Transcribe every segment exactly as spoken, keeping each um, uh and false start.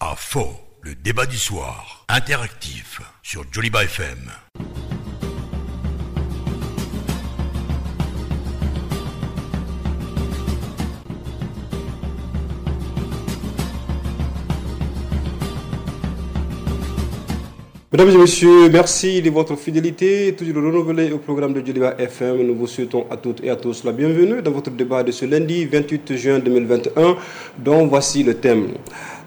À fond, le débat du soir, interactif sur Djoliba F M. Mesdames et messieurs, merci de votre fidélité, toujours renouvelée au programme de Djoliba F M. Nous vous souhaitons à toutes et à tous la bienvenue dans votre débat de ce lundi vingt-huit juin deux mille vingt et un, dont voici le thème.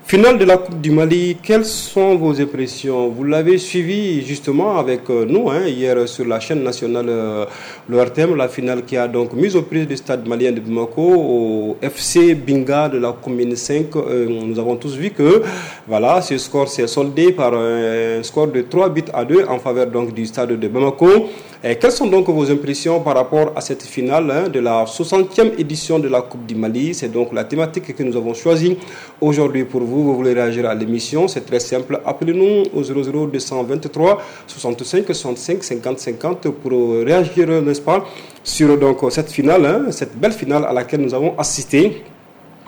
Finale de la Coupe du Mali, quelles sont vos impressions? Vous l'avez suivi justement avec nous hein, hier sur la chaîne nationale euh, l'O R T M, la finale qui a donc mis aux prises du stade malien de Bamako au F C Binga de la commune cinq. Euh, nous avons tous vu que voilà, ce score s'est soldé par un score de trois buts à deux en faveur donc du stade de Bamako. Et quelles sont donc vos impressions par rapport à cette finale hein, de la soixantième édition de la Coupe du Mali? C'est donc la thématique que nous avons choisie aujourd'hui pour vous. Vous voulez réagir à l'émission, c'est très simple. Appelez-nous au zéro zéro deux cent vingt-trois soixante-cinq soixante-cinq cinquante cinquante pour réagir, n'est-ce pas, sur donc cette finale, hein, cette belle finale à laquelle nous avons assisté.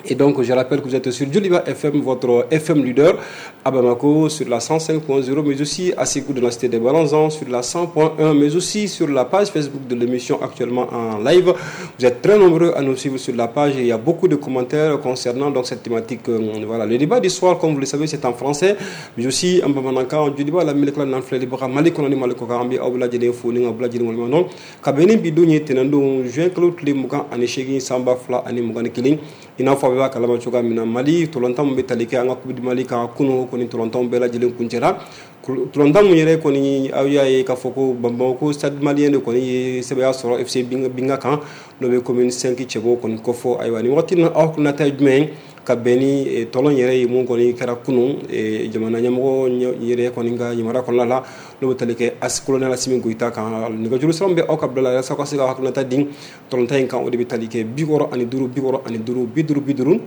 Et donc, je rappelle que vous êtes sur Djoliba F M, votre F M leader, à Bamako, sur la cent cinq point zéro, mais aussi à Ségou de la cité des Balanzans, sur la cent point un, mais aussi sur la page Facebook de l'émission actuellement en live. Vous êtes très nombreux à nous suivre sur la page et il y a beaucoup de commentaires concernant donc cette thématique. Voilà, le débat du soir, comme vous le savez, c'est en français, mais aussi en bamanankan, en Djoliba, la Melekla, Nanfle, Libra, Malikonani, Malikokarambi, Aoula, Djele, Founing, Aoula, Djele, Molmanon, Kabeni, Bidouni, Tenando, Juin, Claude, Mugan, Anishegin, Samba, Fla, Ani, Mugan, Kiling, I n'a fɔ a b'a kalama cogoya min na Mali tolantan min bɛ tali kɛ an ka Coupe du Mali kan kunun kɔni tolantanw bɛɛ lajɛlen kuncɛra tolantan mun yɛrɛ kɔni aw y'a ye k'a fɔ ko Bamako Stade Malien de kɔni ye sɛbɛya sɔrɔ F C Binga kan n'o bɛ commune cinq cɛbɔ kɔni kɔfɔ. Ayiwa nin waati in na aw hakilinata ye jumɛn ye ka bɛn ni tɔlɔn yɛrɛ ye mun kɔni kɛra kunun jamana ɲɛmɔgɔ yɛrɛ kɔni ka yamaruya kɔnɔna la n'o bɛ tali kɛ colonel Assimi Goïta kan. Nɛgɛjuru sira min bɛ aw ka bila la walasa aw ka se ka hakilinata di tɔlɔntan in kan o de bɛ tali kɛ bi wɔɔrɔ ani duuru bi wɔɔrɔ ani duuru bi duuru bi duuru.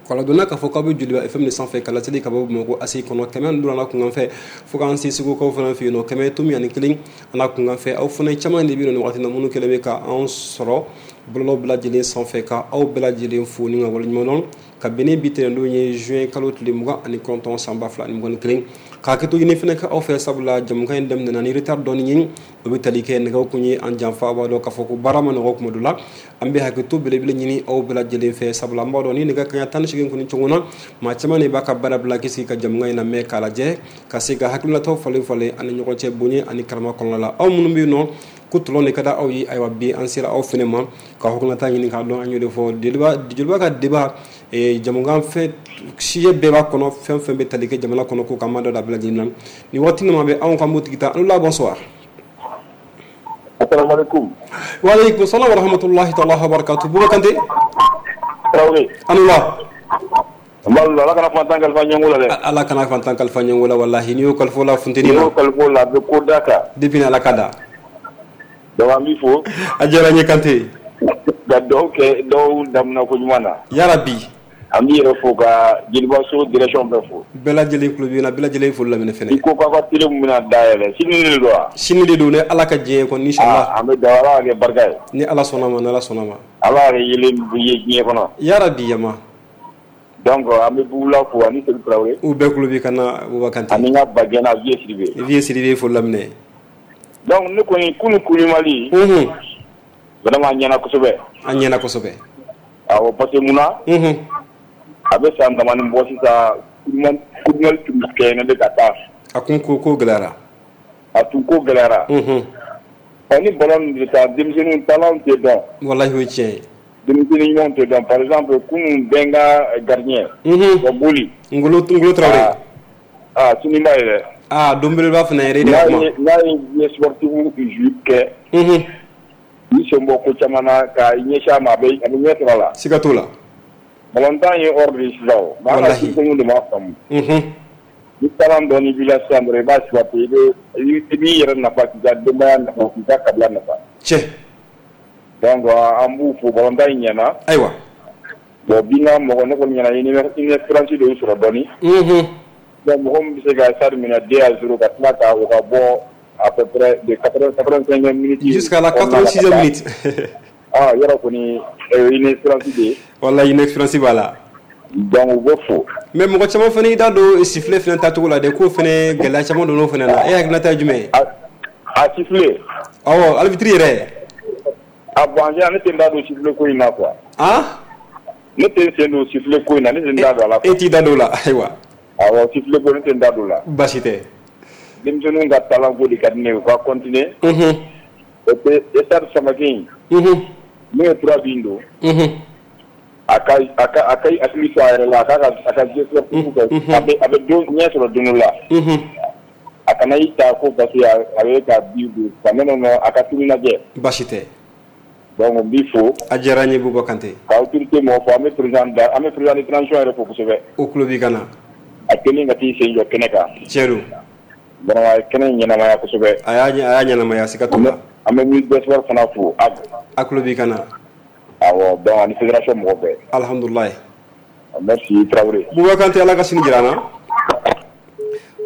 Kɔlɔdonna k'a fɔ k'aw bɛ Djoliba F M de sanfɛ ka laseli ka bɔ Bamakɔ A S I kɔnɔ kɛmɛ ni duuru n'a kunkan fɛ fo k'an se Segukaw fana fɛ yen nɔ kɛmɛ tomi ani kelen a n'a kunkan fɛ. Aw fana caman de bɛ yen nɔ waati na minnu kɛlen bɛ ka anw sɔrɔ bɔlɔlɔ bɛɛ lajɛlen sanfɛ ka aw bɛɛ lajɛlen fo ni ka waleɲuman dɔn ka bɛn ni bi tɛnɛndon ye juin kalo tile mugan ani kɔnɔntɔn san ba fila ani mugan ni kelen. K'a kɛ to ɲini fana kɛ aw fɛ sabula jamukan in daminɛna ni retard dɔɔni ye o bɛ tali kɛ nɛgɛw kun ye an janfa. A b'a dɔn k'a fɔ ko baara ma nɔgɔ kuma dɔ la an bɛ hakɛto belebele ɲini aw bɛɛ lajɛlen fɛ sabula an b'a dɔn ni nɛgɛ kanɲɛ tan ni seegin kɔni cogo na maa caman de b'a ka baara bila k'i sigi ka jamukan in lamɛn k'a lajɛ ka se ka hakilinataw falen falen ani ɲɔgɔn cɛ bonya ani karama kɔnɔna la. Aw minnu bɛ yen nɔ ko tɔlɔn de ka di aw ye ayiwa bi an sera aw fana ma ka hakilinata ɲini k'a dɔn. An y'o de fɔ Djoliba ka débat jamukan fɛn sujet bɛɛ b'a kɔnɔ fɛn fɛn bɛ tali kɛ jamana kɔnɔ ko k'an b'a dɔn da bɛɛ lajɛlen na nin waati ninnu bɛ anw ka motigi ta. An la bonsoir. Assalamu alaikum. Wa alaikum salam wa rahmatullahi ta'ala wa barakatuh. Bouba Kanté. Traoré. Alula. Ala kana fantan kalifa ɲɛngo la dɛ. Ala kana fantan kalifa ɲɛngo la wallahi n'i y'o kalifa la funteni na. N'i y'o kalifa la a bɛ ko da kan. Depuis ni Ala ka da. Donc an b'i fo. A diyara n ye Kanté. Ka dugawu kɛ dɔw daminɛ ko ɲuman na. Yarabi. An b'i yɛrɛ fo ka Djoliba so direction bɛɛ fo. Bɛɛ lajɛlen tulo b'i la bɛɛ lajɛlen foli laminɛ fɛnɛ. I ko k'aw ka télé min bɛna dayɛlɛ sini de don wa? Sini de don ni Ala ka diɲɛ kɔni inchallah. An bɛ dugawu Ala ka kɛ barika ye. Ni Ala sɔnna ma ni Ala sɔnna ma. Ala ka yelen ye diɲɛ kɔnɔ. Yarabi yama. Donc an bɛ Bugula fo ani Seydou Traoré. U bɛɛ tulo b'i kan na Bouba Kanté. Ani n ka bajɛna Vieux Sidibé. Vieux Sidibé foli laminɛ. Donc ne kɔni kunun Coupe Mali. Unhun. Vraiment a ɲɛna kosɛbɛ. A ɲɛna kosɛbɛ. Awɔ parce que mun na? Unhun. A bɛ san damani bɔ sisan Coupe du Mali tun bɛ kɛ ne ka taa. A kun ko ko gɛlɛyara. A tun ko gɛlɛyara. Unhun. Ɔ ni ballon bɛ taa denmisɛnninw talent tɛ dɔn. Walahi o ye tiɲɛ ye. Denmisɛnnin ɲumanw tɛ dɔn par exemple kunun bɛɛ n ka gardien. Unhun. Wa Boli. Ngolo Ngolo Traoré. Aa sini b'a ye dɛ. Aa don belebeleba fana yɛrɛ de ka kuma. N'a ye n'a ye sportif ju kɛ. Unhun. I sen bɔ ko caman na ka ɲɛsin a ma a bɛ a bɛ ɲɛ sɔrɔ a la. Siga t'o la. Balontan ye ordre de sisan o. Walahi. Denmisɛnninw de b'a faamu. Unhun. Ni talent dɔɔni b'i la sisan dɔrɔn i b'a exploiter i bɛ i b'i yɛrɛ nafa k'i ka denbaya nafa k'i ka kabila nafa. Tiɲɛ. Donc an b'u fo balontan in ɲɛna. Ayiwa. Bon bi n ka mɔgɔ ne kɔni ɲɛna inexpérience de y'u sɔrɔ dɔɔni. Unhun. Donc mɔgɔ min bɛ se ka stade minɛ deux à zéro ka tila ka o ka bɔ à peu près de quatre-vingt-cinquième minute. Jusqu'à la quatre-vingt-sixième minute. Ah yɔrɔ kɔni inexpérience de ye. Walahi inexpérience b'a la. Donc u bɛ fo. Mais mɔgɔ caman fana y'i da don sifflet fana tacogo la dɛ, k'o fana gɛlɛya caman donn'o fana na, e hakilinata ye jumɛn ye? A sifflet. Awɔ, arbitre yɛrɛ. A bon, en général ne tɛ n da don sifflet ko in na quoi. Han? Ne tɛ n sen don sifflet ko in na, ne tɛ n da don a la. E t'i da don o la, ayiwa. Awɔ, sifflet ko ne tɛ n da don o la. Baasi tɛ. Denmisɛnninw ka talent ko de ka di ne ye, u ka continuer. Unhun. Et puis stade Samake in. Unhun. N'o ye trois buts don. Unhun. A ka a ka a ka hakili to a yɛrɛ la, a k'a ka a ka jeu sportif kɛ, a bɛ a bɛ don ɲɛ sɔrɔ don dɔ la. Unhun. A kana i ta ko parce que a bɛ ka but don quoi, non non non, a ka sini lajɛ. Baasi tɛ. Donc n b'i fo. A diyara n ye Buba Kante. Ka autorité mɔgɔw fo, an bɛ président da an bɛ président de transition yɛrɛ fo kosɛbɛ. O tulo b'i kan na. A kɛlen ka t'i sen jɔ kɛnɛ kan. Tiɲɛ don. Vraiment a ye kɛnɛ in ɲɛnamaya kosɛbɛ. A y'a a y'a ɲɛnamaya, siga t'o la. An bɛ ministre des sports fana fo. A tulo b'i kan na. Awɔ, donc ani fédération mɔgɔ bɛɛ. Alhamdulilayi. Merci Traoré. Buba Kante, Ala ka sini jira an na.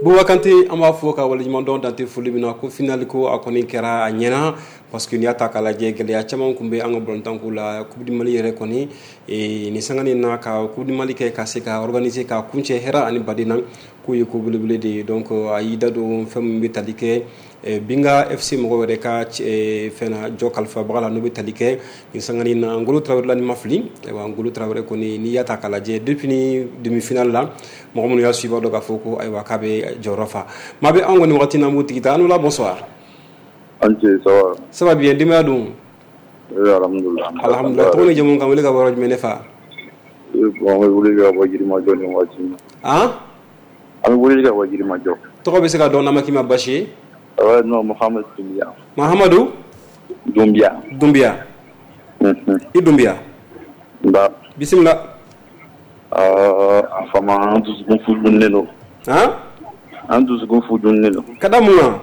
Buba Kante, an b'a fɔ ka waleɲuman dɔn dante foli min na ko final ko a kɔni kɛra a ɲɛna, parce que n'i y'a ta k'a lajɛ, gɛlɛya caman tun bɛ an ka balontanko la. Coupe du Mali yɛrɛ kɔni, nin sanga in na, ka Coupe du Mali kɛ ka se ka organiser ka kuncɛ hɛrɛ ani baden na, k'o ye ko belebele de ye. Donc a y'i da don fɛn min bɛ tali kɛ Binga F C mɔgɔw yɛrɛ ka fɛn na jɔ kalifabaga la, n'o bɛ tali kɛ nin sanga in na Ngolo Traoré la, ni ma fili. Ayiwa, Ngolo Traoré kɔni, n'i y'a ta k'a lajɛ depuis ni demi-finale la, mɔgɔ minnu y'a suivi b'a dɔn k'a fɔ ko ayiwa k'a bɛ jɔyɔrɔ fa. Maa bɛ anw kɔni wagati na, an b'o tigi ta. An la, bonsoir. An ce, ça va? Ça va bien, denbaya dun? Oui, alhamdoulilah. Alhamdoulilah. Tɔgɔ ni jamu, kan wele ka bɔ yɔrɔ jumɛn ne fa? Bon, an bɛ wele ka bɔ Yirimajɔ nin waati in na. Han? An bɛ wele ka bɔ Yirimajɔ. Tɔgɔ bɛ se ka dɔn n'a ma k'i ma basi ye? Ouais, non, Mohamed Doumbia. Mahamadou? Doumbia. Doumbia. Mhm. I Doumbia. Ba. Bisimila. Euh, a fama, an dusukun fudunnen don. Han? An dusukun fudunnen don. Ka da mun kan?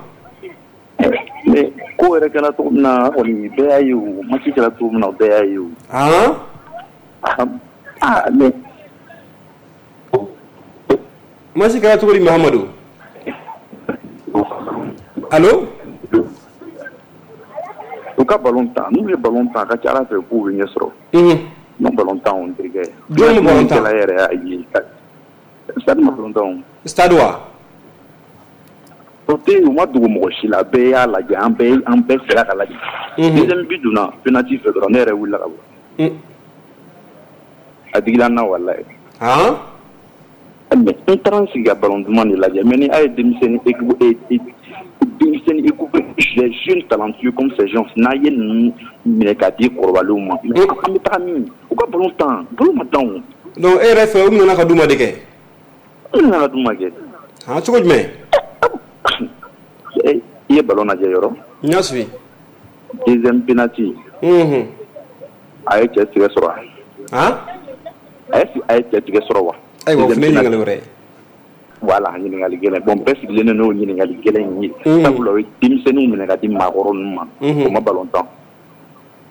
Mais ko yɛrɛ kɛra cogo min na kɔni, bɛɛ y'a ye o, match kɛra cogo min na, bɛɛ y'a ye o. Han? Ah, mais match kɛra cogo di, Mahamadou? Allo? U ka ballon tan, n'u ye ballon tan, a ka ca Ala fɛ k'u bɛ ɲɛ sɔrɔ. Unhun. N'u ballon tan, on terikɛ. Jɔn bɛ ballon tan? Yɛrɛ y'a ye. Stade ma ballon tan o. Stade wa? O tɛ, u ma dogo mɔgɔ si la, bɛɛ y'a lajɛ, an bɛɛ an bɛɛ sera ka lajɛ. Deuxième but donna penalty fɛ dɔrɔn, ne yɛrɛ wulila ka bɔ. A digira n na walayi. Han? Mais n taara n sigi ka ballon duman de lajɛ, mais ni a ye denmisɛnnin équipe denmisɛnnin équipe, les jeunes talentueux comme ces gens, n'a ye ninnu minɛ k'a di kɔrɔbalenw ma, mais an bɛ taga min? U ka ballon tan, ballon ma tan o. Donc e yɛrɛ fɛ, u nana ka d'u ma de kɛ? U nana ka d'u ma kɛ. Han, cogo jumɛn? I ye ballon lajɛ yɔrɔ? N y'a suivi. Deuxième penalty. Unhun. A ye cɛ tigɛ sɔrɔ wa? Han? A ye a ye cɛ tigɛ sɔrɔ wa? Ayiwa, o fana ye ɲininkali wɛrɛ ye. Voilà, ɲininkali gɛlɛn. Bon, bɛɛ sigilen don n'o ɲininkali gɛlɛn in ye. Sabula o ye denmisɛnninw minɛ ka di maakɔrɔ ninnu ma. O ma ballon tan.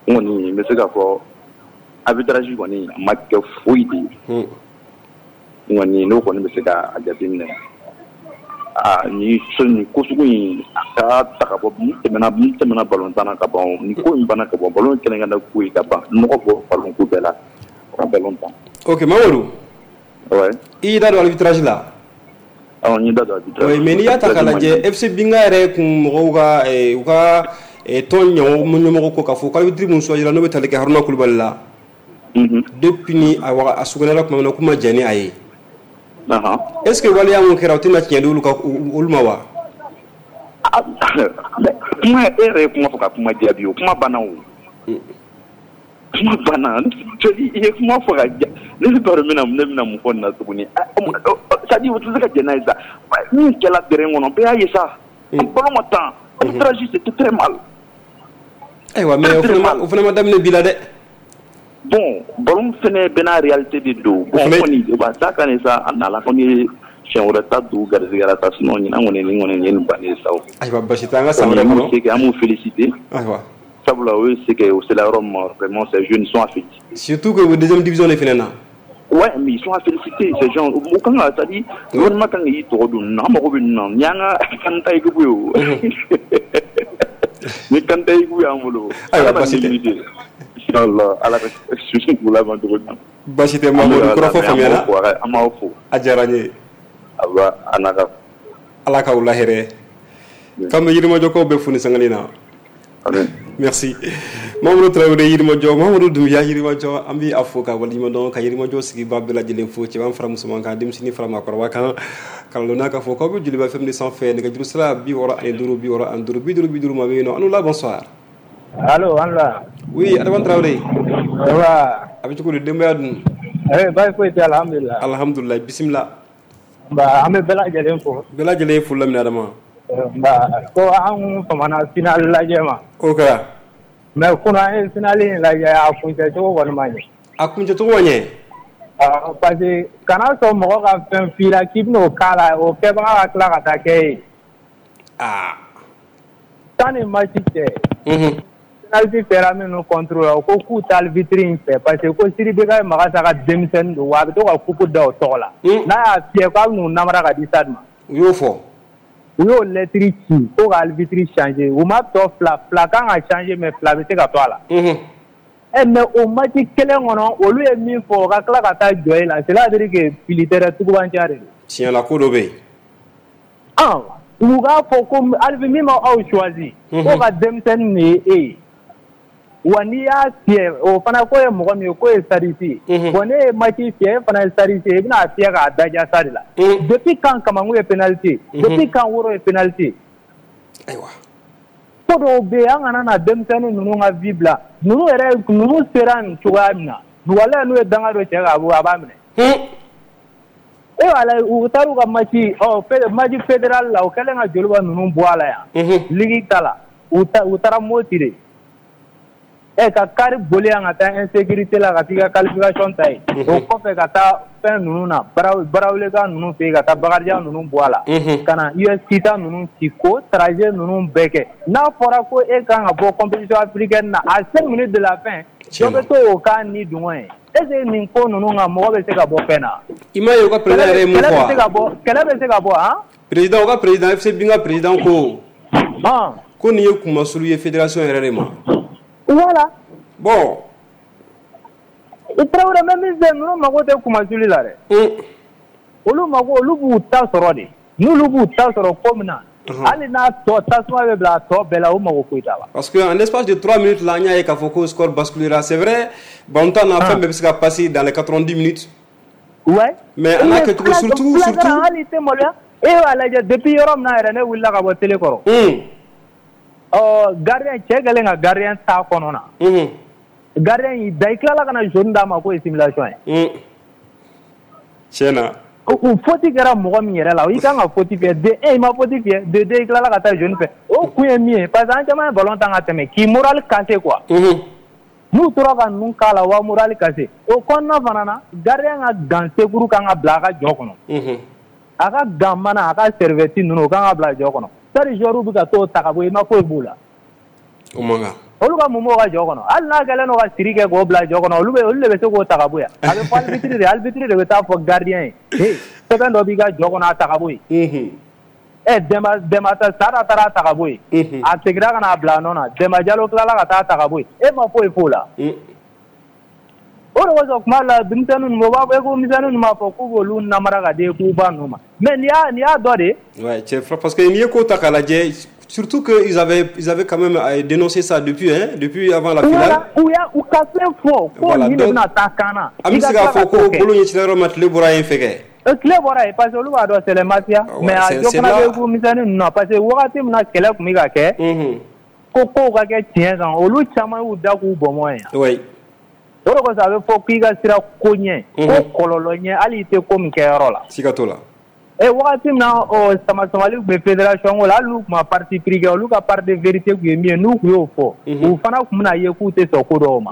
N kɔni n bɛ se k'a fɔ arbitrage kɔni a ma kɛ foyi de ye. N kɔni n'o kɔni bɛ se k'a jateminɛ. Aa, ni nin ko sugu in a ka ta ka bɔ, mun tɛmɛna mun tɛmɛna ballon tan na ka ban, nin ko in banna ka bɔ, ballon kɛnɛ ko ye ka ban, nɔgɔ bɔ ballon ko bɛɛ la, ka ballon tan. Ok, Mamadou. Ouais. I y'i da don arbitrage la. Awɔ, n y'i da don arbitrage. Oui, mais n'i y'a ta k'a lajɛ, F C Binga yɛrɛ kun mɔgɔw ka u ka tɔn ɲɛmɔgɔ ko k'a fɔ ko arbitre mun choisira, n'o bɛ tali kɛ Haruna Kulubali la. Depuis ni a waga a sugunɛra tuma min na, k'u ma jɛn ni a ye. Est ce que waleya mun kɛra, o tɛna tiɲɛ di olu ka olu ma wa? Kuma e yɛrɛ ye kuma fɔ ka kuma jaabi, o kuma banna o. Kuma banna, i ye kuma fɔ ka ja, ne t'a dɔn ne bɛna mun fɔ nin na tuguni. C'est à dire o tɛ se ka jɛn n'a ye sa. Min kɛla terrain kɔnɔ, bɛɛ y'a ye sa. Ballon ma tan, arbitrage c'était très mal. Ayiwa, mais o fana ma o fana ma daminɛ bi la dɛ. Bon, ballon fɛnɛ bɛɛ n'a réalité de don. Bon, kɔni o b'a ta kan sa, an nana kɔni ye siɲɛ wɛrɛ ta don garisɛgɛ la sa, sinon ɲinan kɔni nin kɔni nin ye nin bannen ye sa o. Ayiwa, basi tɛ, an ka san wɛrɛ kɔnɔ. An b'u féliciter. Ayiwa. Sabula o ye se kɛ o sera yɔrɔ min ma, vraiment ces jeunes sont à féliciter. Surtout que o deuxième division de fɛnɛ na. Ouais, mais ils sont à féliciter ces gens. O kan ka, c'est à dire gouvernement kan k'i tɔgɔ don ninnu na, an mago bɛ ninnu na. Nin y'an ka Kanta équipe ye o. Ni Kanta équipe y'an bolo. Ayiwa, basi tɛ. Inchallah Ala ka su k'u laban cogo ɲuman. Baasi tɛ Mamadu, kɔrɔfɔ faamuyara. An b'aw fo. A diyara n ye. Aba a n'a ka Ala k'aw lahɛrɛ. K'an bɛ Yirimajɔkaw bɛɛ fo ni sanga na. Merci. Mamadou Traoré Yirimajɔ, Mamadou Doumbia Yirimajɔ, an bɛ a fo ka waleɲuman dɔn ka Yirimajɔ sigibaa bɛɛ lajɛlen fo, cɛman fara musoman kan, denmisɛnnin fara maakɔrɔba kan, ka lɔnna k'a fɔ k'aw bɛ Joliba F M de sanfɛ, nɛgɛjuru sira bi wɔɔrɔ ani duuru bi wɔɔrɔ ani duuru bi duuru bi duuru maa bɛ yen nɔ. An la, bonsoir. Allo, an la. Oui, Adama Traoré. Ça va? A bɛ cogo di, denbaya dun? Eh, baasi foyi tɛ, alhamdulillah. Alhamdulillah, bisimila. Nba, an bɛ bɛɛ lajɛlen fo. Bɛɛ lajɛlen ye foli laminɛ Adama. Nba, ko an famana finale lajɛ ma. O kɛra. Mais kunun an ye finale in lajɛ, a kuncɛ cogo kɔni ma ɲɛ. A kuncɛ cogo ma ɲɛ? Awɔ, parce que kana sɔn mɔgɔ ka fɛn f'i la k'i bɛn'o k'a la, o kɛbaga ka tila ka taa kɛ e ye. Aa. Sanni match cɛ. Unhun. Penalty kɛra minnu contre la, u ko k'u tɛ arbitre in fɛ parce que ko Sidibé ye Magasa ka denmisɛnnin don wa a bɛ to ka coupe da o tɔgɔ la. N'a y'a fiyɛ k'a bɛ n'u namara ka di stade ma. U y'o fɔ. U y'o lettre ci ko ka arbitre changer, u ma tɔ fila fila kan ka changer mais fila bɛ se ka to a la. Unhun. Ɛ mais o match kelen kɔnɔ olu ye min fɔ o ka tila ka taa jɔ e la, cela veut dire que fili tɛ dɛ, tugubanciya de don. Tiɲɛ la, ko dɔ bɛ yen. Ɔn, u k'a fɔ ko arbitre min ma aw choisi. K'o ka denmisɛnnin de ye e ye. Wa n'i y'a fiyɛ o fana k'o ye mɔgɔ min ye k'o ye sadisi ye. Bon ne ye match fiyɛ, e fana ye sadisi ye, i bɛna fiyɛ k'a daja stade la. Depuis quand Kamangu ye penalty ye? Depuis quand Woro ye penalty ye? Ayiwa. Ko dɔw bɛ yen, an kana na denmisɛnnin ninnu ka vie bila. Ninnu yɛrɛ ninnu sera nin cogoya min na, walahi n'u ye danga dɔ cɛ k'a bɔ a b'a minɛ. E walahi u taara u ka match ɔ match fédéral la, u kɛlen ka Joliba ninnu bɔ a la yan. Ligue ta la, u taara Moti de. Ɛ ka kari boli yan ka taa insécurité la ka t'i ka qualification ta yen. O kɔfɛ ka taa fɛn ninnu na, Baraweleka ninnu fɛ yen, ka taa Bakarijan ninnu bɔ a la. Ka na U S Kita ninnu ci k'o trajet ninnu bɛɛ kɛ. N'a fɔra ko e kan ka bɔ compétition africaine na à cinq minutes de la fin, dɔ bɛ to o kan ni dungɔ ye. Est ce que nin ko ninnu kan mɔgɔ bɛ se ka bɔ fɛn na? I m'a ye u ka président yɛrɛ ye mun fɔ wa? Kɛlɛ bɛ se ka bɔ, kɛlɛ bɛ se ka bɔ han? Président, u ka président F C Binga président ko. Ko nin ye kunmasulu ye fédération yɛrɛ de ma. Voilà. Bon. I Traoré bɛ min fɛ, ninnu mago tɛ kumasuli la dɛ. Olu mago, olu b'u ta sɔrɔ de. N'olu b'u ta sɔrɔ ko min na, hali n'a tɔ tasuma bɛ bila a tɔ bɛɛ la, u mago foyi t'a la. Parce que en espace de trois minutes là, an y'a ye k'a fɔ ko score basculera. C'est vrai, ballontan na fɛn bɛɛ bɛ se ka passer dans les quatre-vingt-dix minutes. Ouais. Mais an n'a kɛcogo surtout surtout. Hali i tɛ maloya. E b'a lajɛ depuis yɔrɔ min na yɛrɛ ne wulila ka bɔ télé kɔrɔ. Ɔ gardien cɛ kɛlen ka gardien ta kɔnɔ na. Gardien y'i da, i tilala ka na jaune d'a ma k'o ye simulation ye. Tiɲɛ na. O faute kɛra mɔgɔ min yɛrɛ la, i kan ka faute fiyɛ de un i ma faute fiyɛ, de deux i tilala ka taa jaune fɛ. O kun ye min ye parce que an caman ye ballon tan ka tɛmɛ k'i moral casser quoi. N'u tora ka ninnu k'a la, wa moral casser. O kɔnɔna fana na, gardien ka gant secours kan ka bila a ka jɔ kɔnɔ. A ka gant mana, a ka serviette ninnu o kan ka bila jɔ kɔnɔ. Sari joueur bɛ ka t'o ta ka bɔ, i ma foyi b'u la. O man kan. Olu ka mun b'o ka jɔ kɔnɔ? Hali n'a kɛlen don ka siri kɛ k'o bila jɔ kɔnɔ, olu bɛ olu de bɛ se k'o ta ka bɔ yan. A bɛ fɔ arbitre de, arbitre de bɛ taa fɔ gardien ye. Hey, sɛbɛn dɔ b'i ka jɔ kɔnɔ, a ta ka bɔ yen. Ɛ Demba Demba Sada taara ta ka bɔ yen. A seginna ka n'a bila a nɔ na. Demba Jalo tilala ka taa ta ka bɔ yen. E ma foyi f'o la. O de kosɔn kuma la denmisɛnnin ninnu, u b'a fɔ ko misɛnnin ninnu b'a fɔ k'u b'olu namara ka di k'u ba ninnu ma. Mais nin y'a nin y'a dɔ de ye. Ouais, cɛ, parce que n'i ye ko ta k'a lajɛ, surtout que ils avaient ils avaient quand même dénoncé ça depuis hein, depuis avant la finale. Voilà, u y'a u ka fɛn fɔ ko nin de bɛna taa kan na. An bɛ se k'a fɔ ko bolo ɲɛcira yɔrɔ ma, tile bɔra yen fɛ kɛ. Tile bɔra yen parce que olu b'a dɔn c'est les mafias. Mais a dɔ fana bɛ ko misɛnnin ninnu na parce que wagati min na kɛlɛ tun bɛ ka kɛ. Ko kow ka kɛ tiɲɛ kan, olu caman y'u da k'u bɔnbɔn yen. Oui. O de kosɔn a bɛ fɔ k'i ka sira ko ɲɛ, ko kɔlɔlɔ ɲɛ, hali i tɛ ko min kɛ yɔrɔ la. Siga t'o la. Ɛ wagati min na ɔ sama samali tun bɛ fédération ko la, hali n'u tun ma parti pris kɛ, olu ka part de vérité tun ye min ye, n'u tun y'o fɔ, u fana tun bɛna ye k'u tɛ sɔn ko dɔw ma.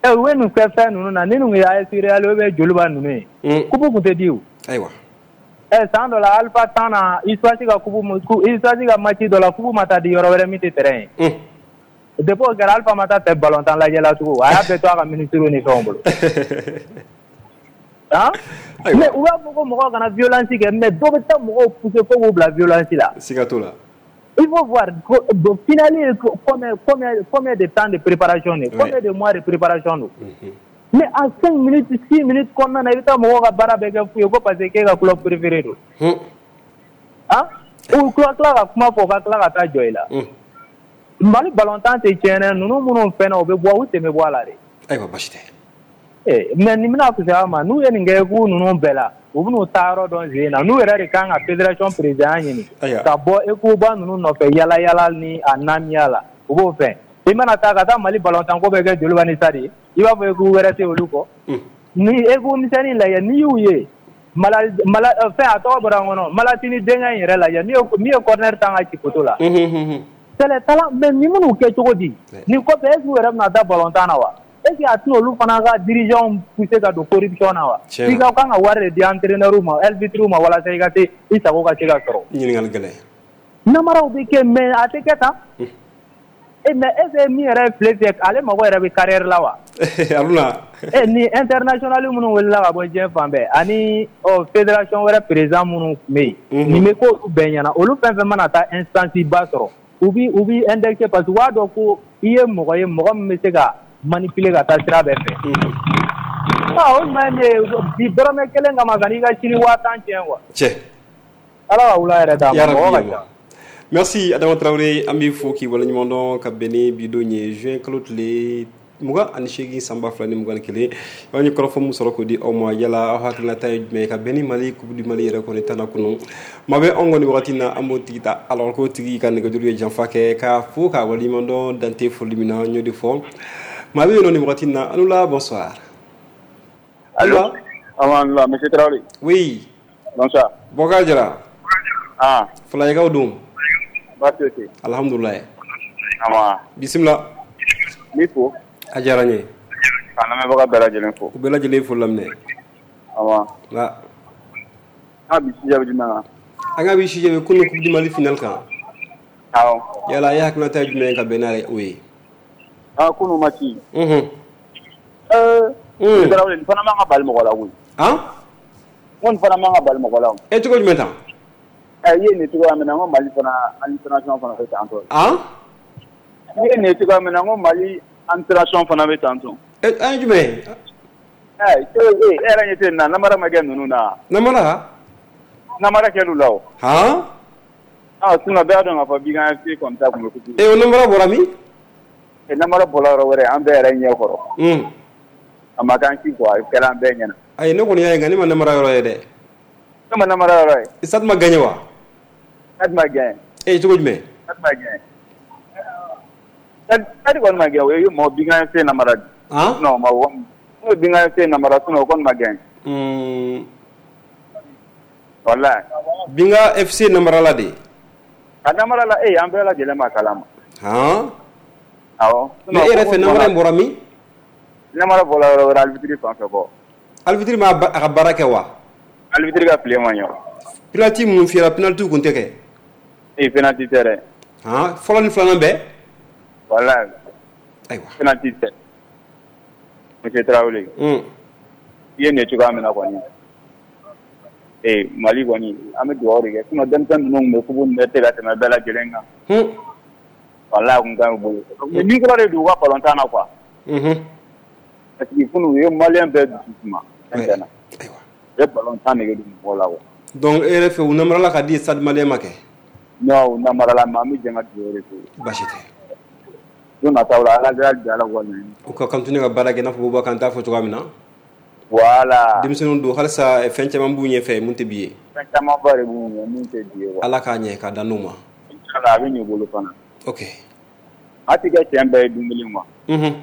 Ɛ u ye nin fɛn fɛn ninnu na, ni nin ye A S Real ou bien Joliba ninnu ye, coupe tun tɛ di o. Ayiwa. Ɛ san dɔ la Alpha tan na, USFAS ka coupe USFAS ka match dɔ la, coupe ma taa di yɔrɔ wɛrɛ min tɛ terrain ye. Depuis o kɛra Alpha ma taa tɛ ballon tan lajɛ la tugun, a y'a bɛɛ to a ka ministre ni fɛnw bolo. Han? Mais u b'a fɔ ko mɔgɔw kana violence kɛ, mais dɔ bɛ taa mɔgɔw pousser fo k'u bila violence la. Siga t'o la. Il faut voir donc finale combien combien combien de temps de préparation de combien de mois de préparation don. Mais en cinq minutes six minutes kɔnɔna na i bɛ taa mɔgɔw ka baara bɛɛ kɛ fu ye ko parce que k'e ka club préféré don. Ah u tila ka kuma fɔ u ka tila ka taa jɔ i la. Mali ballontan tɛ tiɲɛ dɛ, ninnu minnu fɛnɛ u bɛ bɔ u sen bɛ bɔ a la de. Ayiwa basi tɛ. Eh mais nin bɛna fisaya ma n'u ye nin kɛ k'u ninnu bɛɛ la u bɛn'u taa yɔrɔ dɔn sen na n'u yɛrɛ de kan ka fédération président ɲini ka bɔ Ecoba ninnu nɔfɛ yala yala ni a namiya la u b'o fɛ. I mana taa ka taa Mali ballontan ko bɛ kɛ Joliba ni Stade ye i b'a fɔ équipe wɛrɛ tɛ olu kɔ. Ni équipe misɛnnin lajɛ n'i y'u ye mala mala fɛn a tɔgɔ bɔra n kɔnɔ Malatini denkɛ in yɛrɛ lajɛ min ye min ye corner tan ka ci poteau la. C'est les talents mais ni minnu kɛ cogo di nin kɔfɛ est-ce que u yɛrɛ bɛna taa ballontan na wa? Est-ce que a tɛna olu fana ka dirigeants pousser ka don corruption na wa? I ka kan ka wari de di entraîneur ma arbitre ma walasa i ka se i sago ka se ka sɔrɔ. Ɲininkali gɛlɛn. Namaraw bɛ kɛ mais a tɛ kɛ tan. Eh mais est-ce que min yɛrɛ ye file fiyɛ ale mago yɛrɛ bɛ carrière la wa? Haruna. Eh ni international minnu wulila ka bɔ diɲɛ fan bɛɛ ani ɔ fédération wɛrɛ président minnu tun bɛ yen. Nin bɛ k'olu bɛɛ ɲɛna olu fɛn fɛn mana taa instance ba sɔrɔ u bi u bi indexé parce que u b'a dɔn ko i ye mɔgɔ ye mɔgɔ min bɛ se ka manipuler ka taa sira bɛɛ fɛ. Ah o ɲuman ye bi dɔrɔmɛ kelen kama ka n'i ka sini waa tan tiɲɛ quoi. Cɛ. Ala ka wula yɛrɛ d'a ma mɔgɔ ka ca. Merci Adama Traoré an b'i fo k'i waleɲuman dɔn ka bɛn ni bi don ye juin kalo tile mugan ani seegin san ba fila ni mugan ni kelen an ye kɔrɔfɔ min sɔrɔ k'o di aw ma yala aw hakilinata ye jumɛn ye ka bɛn ni Mali Coupe du Mali yɛrɛ kɔni tan kunu maa bɛ anw kɔni wagati na an b'o tigi ta alors k'o tigi ka nɛgɛjuru ye janfa kɛ k'a fo k'a waleɲuman dɔn dante foli min na n y'o de fɔ maa bɛ yen nɔ nin wagati na Alula bonsoir. Allo. Allo monsieur Traoré. Oui. Bonsoir. Bɔkar Jara. Ah. Fulaɲɛkaw don. Baasi tɛ. Alhamdulilayi. Awa. Bisimila. N b'i fo. A diyara n ye. Ka lamɛnbaga bɛɛ lajɛlen fo. U bɛɛ lajɛlen fo laminɛ. Awa. Nka. An bi sujet bɛ jumɛn kan? An ka bi sujet bɛ kunun Coupe du Mali finale kan. Awɔ. Yala e hakilinata ye jumɛn ye ka bɛn n'a ye o ye? Ah kunun match. Unhun. Ɛɛ. Un. Tarawele nin fana man ka bali mɔgɔ la koyi. Han? N ko nin fana man ka bali mɔgɔ la o. E cogo jumɛn tan? Ɛ i ye nin cogoya min na n ko Mali fana administration fana bɛ tan tɔ. Han? I ye nin cogoya min na n ko Mali administration fana bɛ tan tɔ. Ɛ an ye jumɛn ye? Ɛ e yɛrɛ ɲɛ tɛ nin na namara ma kɛ ninnu na. Namara? Namara kɛr'u la o. Han? Ah sinon bɛɛ y'a dɔn k'a fɔ Bigan F C kɔni ta tun bɛ coupe. E o namara bɔra min? E namara bɔra yɔrɔ wɛrɛ an bɛɛ yɛrɛ ɲɛ kɔrɔ. Un. A ma k'an ci quoi a kɛra an bɛɛ ɲɛna. Ayi ne kɔni y'a ye nka ne ma namara yɔrɔ ye dɛ. Ne ma namara yɔrɔ ye. Stade ma gagné wa? Stade ma gagné. E cogo jumɛn? Stade ma gagné. Stade kɔni ma gagné o ye mɔgɔ Bigan F C namara di. Han? Non ma o n'o Bigan F C namara sinon o kɔni ma gagné. Un. Walahi. Binga F C namara la de. A namara la e an bɛɛ lajɛlen ma kalama. Han? Awɔ. Mais e yɛrɛ fɛ namara in bɔra min? Namara bɔra yɔrɔ wɛrɛ arbitre fan fɛ kɔ. Arbitre ma a ka baara kɛ wa? Arbitre ka tile ma ɲɛ. Penalty minnu fiyɛra penalty kun tɛ kɛ? Ee penalty tɛ dɛ. Han fɔlɔ ni filanan bɛɛ? Walahi. Ayiwa. Penalty tɛ. Monsieur Traoré. Un. I ye nin cogoya min na kɔni. Ee Mali kɔni an bɛ dugawu de kɛ sinon denmisɛnnin ninnu tun bɛ coupe nin bɛɛ tɛ ka tɛmɛ bɛɛ lajɛlen kan. Un. Walahi a kun ka ɲi u bolo. Mais micro de don u ka ballon na quoi. Unhun. Parce que kunun u ye malien bɛɛ dusu suma. Fɛn fɛn na. Ayiwa. U ye ballon tan nege don mɔgɔw la quoi. Donc e yɛrɛ fɛ u namarala ka di Stade Malien ma kɛ? Non u namarala mais an bɛ jɛ ka dugawu de k'u ye. Baasi tɛ. Don nataw la Ala hali bi Ala k'u ka laɲini. U ka continuer ka baara kɛ i n'a fɔ Bouba Kante y'a fɔ cogoya min na. Voilà. Denmisɛnninw don halisa fɛn caman b'u ɲɛfɛ mun tɛ bi ye. Fɛn camanba de b'u ɲɛ mun tɛ bi ye quoi. Ala k'a ɲɛ k'a dan n'u ma. Inchallah a bɛ ɲɛ u bolo fana. Ok. A tɛ kɛ tiɲɛ bɛɛ ye don kelen quoi. Unhun.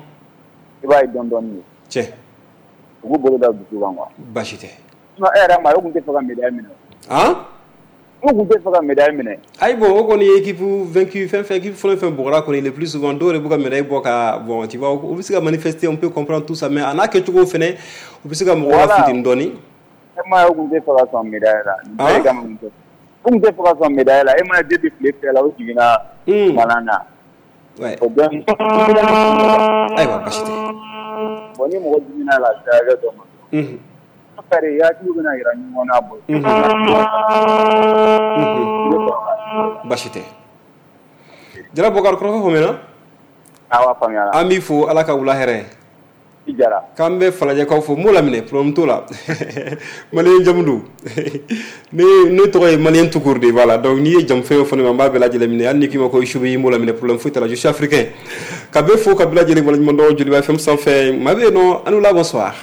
I b'a ye dɔɔni dɔɔni de. Tiɲɛ. U k'u bolo da dusu kan quoi. Baasi tɛ. Sinon e yɛrɛ ma ye u tun tɛ fɛ ka médaille minɛ. Han? U tun tɛ fɛ ka médaille minɛ. Ayi bon o kɔni ye équipe vaincu fɛn fɛn équipe fɛn fɛn bɔgɔra kɔni le plus souvent dɔw yɛrɛ b'u ka médaille bɔ ka bon tu vois u bɛ se ka manifester on peut comprendre tout ça mais a n'a kɛcogo fɛnɛ u bɛ se ka mɔgɔw lafinteni dɔɔni. E ma ye u tun tɛ fɛ ka sɔn médaille la. Nin bɛɛ de kama u tun tɛ. U tun tɛ fɛ ka sɔn médaille la e ma ye depuis tile fila la u jiginna malan na. Ouais. O bɛɛ. Ayiwa baasi tɛ. Bon ni mɔgɔ jiginna la a sera hakɛ dɔ ma. Unhun. Kari hakili bɛna yira ɲɔgɔn na bɔ. Unhun. Baasi tɛ. Jara Bokar kɔrɔfɔ faamuyana? Awa, faamuyara. An b'i fo, Ala ka wula hɛrɛ. I jara. K'an bɛ Falajɛkaw fo, n b'o laminɛ, problème t'o la. Malien jamu don. Ne ne tɔgɔ ye Malien tout court de, voilà. Donc n'i ye jamu fɛn o fɛn fɔ ne ma, n b'a bɛɛ lajɛlen minɛ. Hali n'i k'i ma ko Isubi, n b'o laminɛ, problème foyi t'a la. Je suis africain. Ka bɛɛ fo ka bɛɛ lajɛlen waleɲuman dɔn Joliba F M sanfɛ. Maa bɛ yen nɔ, an la, bonsoir.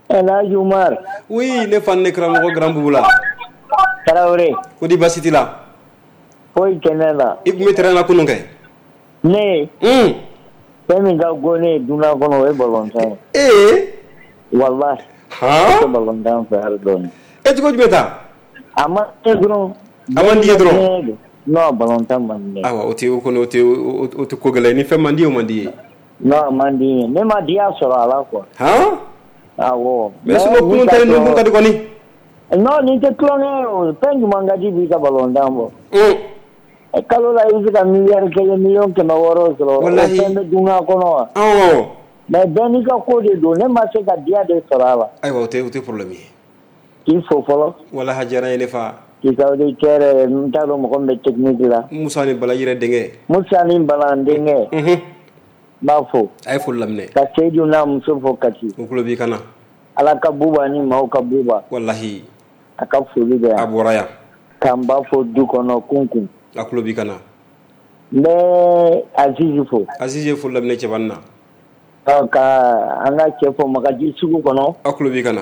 El Hadj Umar. Oui, ne fa, ne karamɔgɔ Grand Boubou. Tarawele. Ko di, baasi t'i la? Foyi tɛ ne la. I tun bɛ terrain na kunun kɛ? Ne. Un. Fɛn min ka go ne ye dunan kɔnɔ, o ye balontan ye. Ee. Walahi. Han. Ne tɛ balontan fɛ hali dɔɔni. E cogo jumɛn ta? A ma ne dɔrɔn. A man di ye dɔrɔn. Non, balontan man di ne ye. Ayiwa, o tɛ o kɔni, o tɛ o tɛ ko gɛlɛn ye. Ni fɛn man di ye, o man di ye. Non, a man di n ye. Ne ma diya sɔrɔ a la quoi. Han. Awɔ. Mais sinon kunun ta in dun kun ka di kɔni. Non, nin tɛ tulonkɛ ye o. Fɛn jumɛn ka di b'i ka balontan bɔ? Un. Kalo la i bɛ se ka miliyari kelen, miliyɔn kɛmɛ wɔɔrɔ sɔrɔ. Walahi. O fɛn bɛ dunan kɔnɔ wa? Awɔ. Mais bɛɛ n'i ka ko de don, ne ma se ka diya de sɔrɔ a la. Ayiwa, o tɛ o tɛ problème ye. K'i fo fɔlɔ. Walahi, a diyara n ye, ne fa. K'i ka auditeur, n t'a dɔn mɔgɔ min bɛ technique la. Musa ni Bala yɛrɛ denkɛ. Musa ni Bala n denkɛ. Unhun. N b'a fo. A ye foli laminɛ. Ka Seydou n'a muso fo Kati. O tulo b'i kan na. Ala ka buba ni maaw ka buba. Walahi. A ka foli bɛ yan. A bɔra yan. K'an ba fo du kɔnɔ kunkun. A tulo b'i kan na. N bɛ Azizi fo. Azizi ye foli laminɛ cɛbani na. Ka an ka cɛ fo Magaji sugu kɔnɔ. A tulo b'i kan na.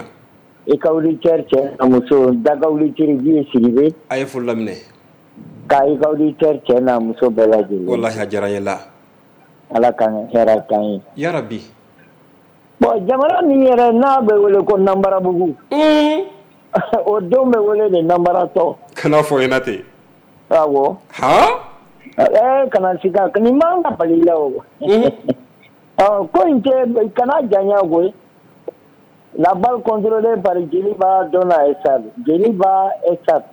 I ka auditeur cɛ n'a muso, daga auditeur Vieux Sidibe. A ye foli laminɛ. Ka i ka auditeur cɛ n'a muso bɛɛ lajɛlen. Walahi, a diyara n ye la. Ala ka hɛrɛ k'an ye. Yarabi. Bon, jamana min yɛrɛ n'a bɛ wele ko Nanbarabugu. Un. O denw bɛ wele de Nanbaratɔ. Kana fɔ ɲɛna ten. Awɔ. Han. Ɛɛ, kana siga, nin man ka bali i la o. Ɔ, ko in tɛ, kana janya koyi. La balle contrôlée par Joliba donna Stade. Joliba Stade.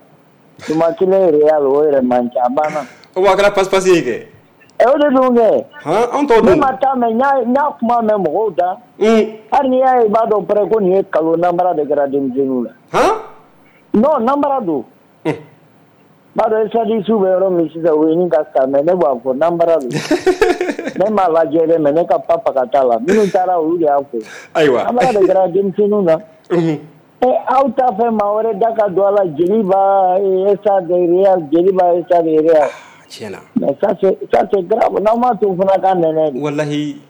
Tuma kelen Real, o yɛrɛ man ca, a banna. O a kɛra passe passe ye kɛ. Ɛ, o de don kɛ. Han, anw t'o Ne dun. ma taa mɛn, n y'a kuma mɛn mɔgɔw da. Hali n'i y'a ye, i b'a dɔn pɛrɛ ko nin ye kalo nanbara de kɛra denmisɛnninw la. Han. Non, nanbara don. N b'a dɔn stade bɛ yɔrɔ min sisan, o ye ɲini ka sa, mais ne b'a fɔ nanbara don. Ne m'a lajɛ dɛ, mais ne ka papa ka taa la. Minnu taara, olu de y'a fɔ. Ayiwa. Nanbara de kɛra denmisɛnninw na. Ɛ, aw t'a fɛ maa wɛrɛ da ka don a la, Joliba Stade Real, Joliba Stade Real. Tiɲɛ na. Mais ça c'est ça c'est grave, n'aw m'a to fana k'a nɛnɛ de. Walahi.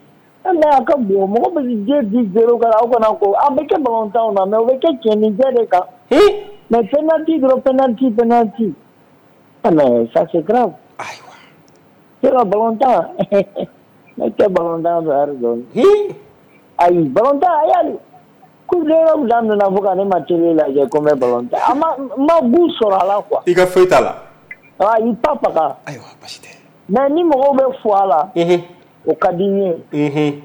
Mais a ka bon, mɔgɔ bɛ den di zéro kan, aw kana ko a bɛ kɛ balontanw na, mais o bɛ kɛ cɛnninjɛ de kan. Mais penalty dɔrɔn, penalty, penalty. Ah mais ça c'est grave. Ayiwa. C'est la balontan. Ne tɛ balontan fɛ hali dɔɔni. Ayi, balontan a y'ale. Coupe d'Europe daminɛna fo ka ne ma télé lajɛ ko n bɛ balontan. A ma n ma goût sɔrɔ a la quoi. I ka foyi t'a la. Ayi, pas faga. Ayiwa, baasi tɛ. Mais ni mɔgɔw bɛ fo a la. O ka di n ye.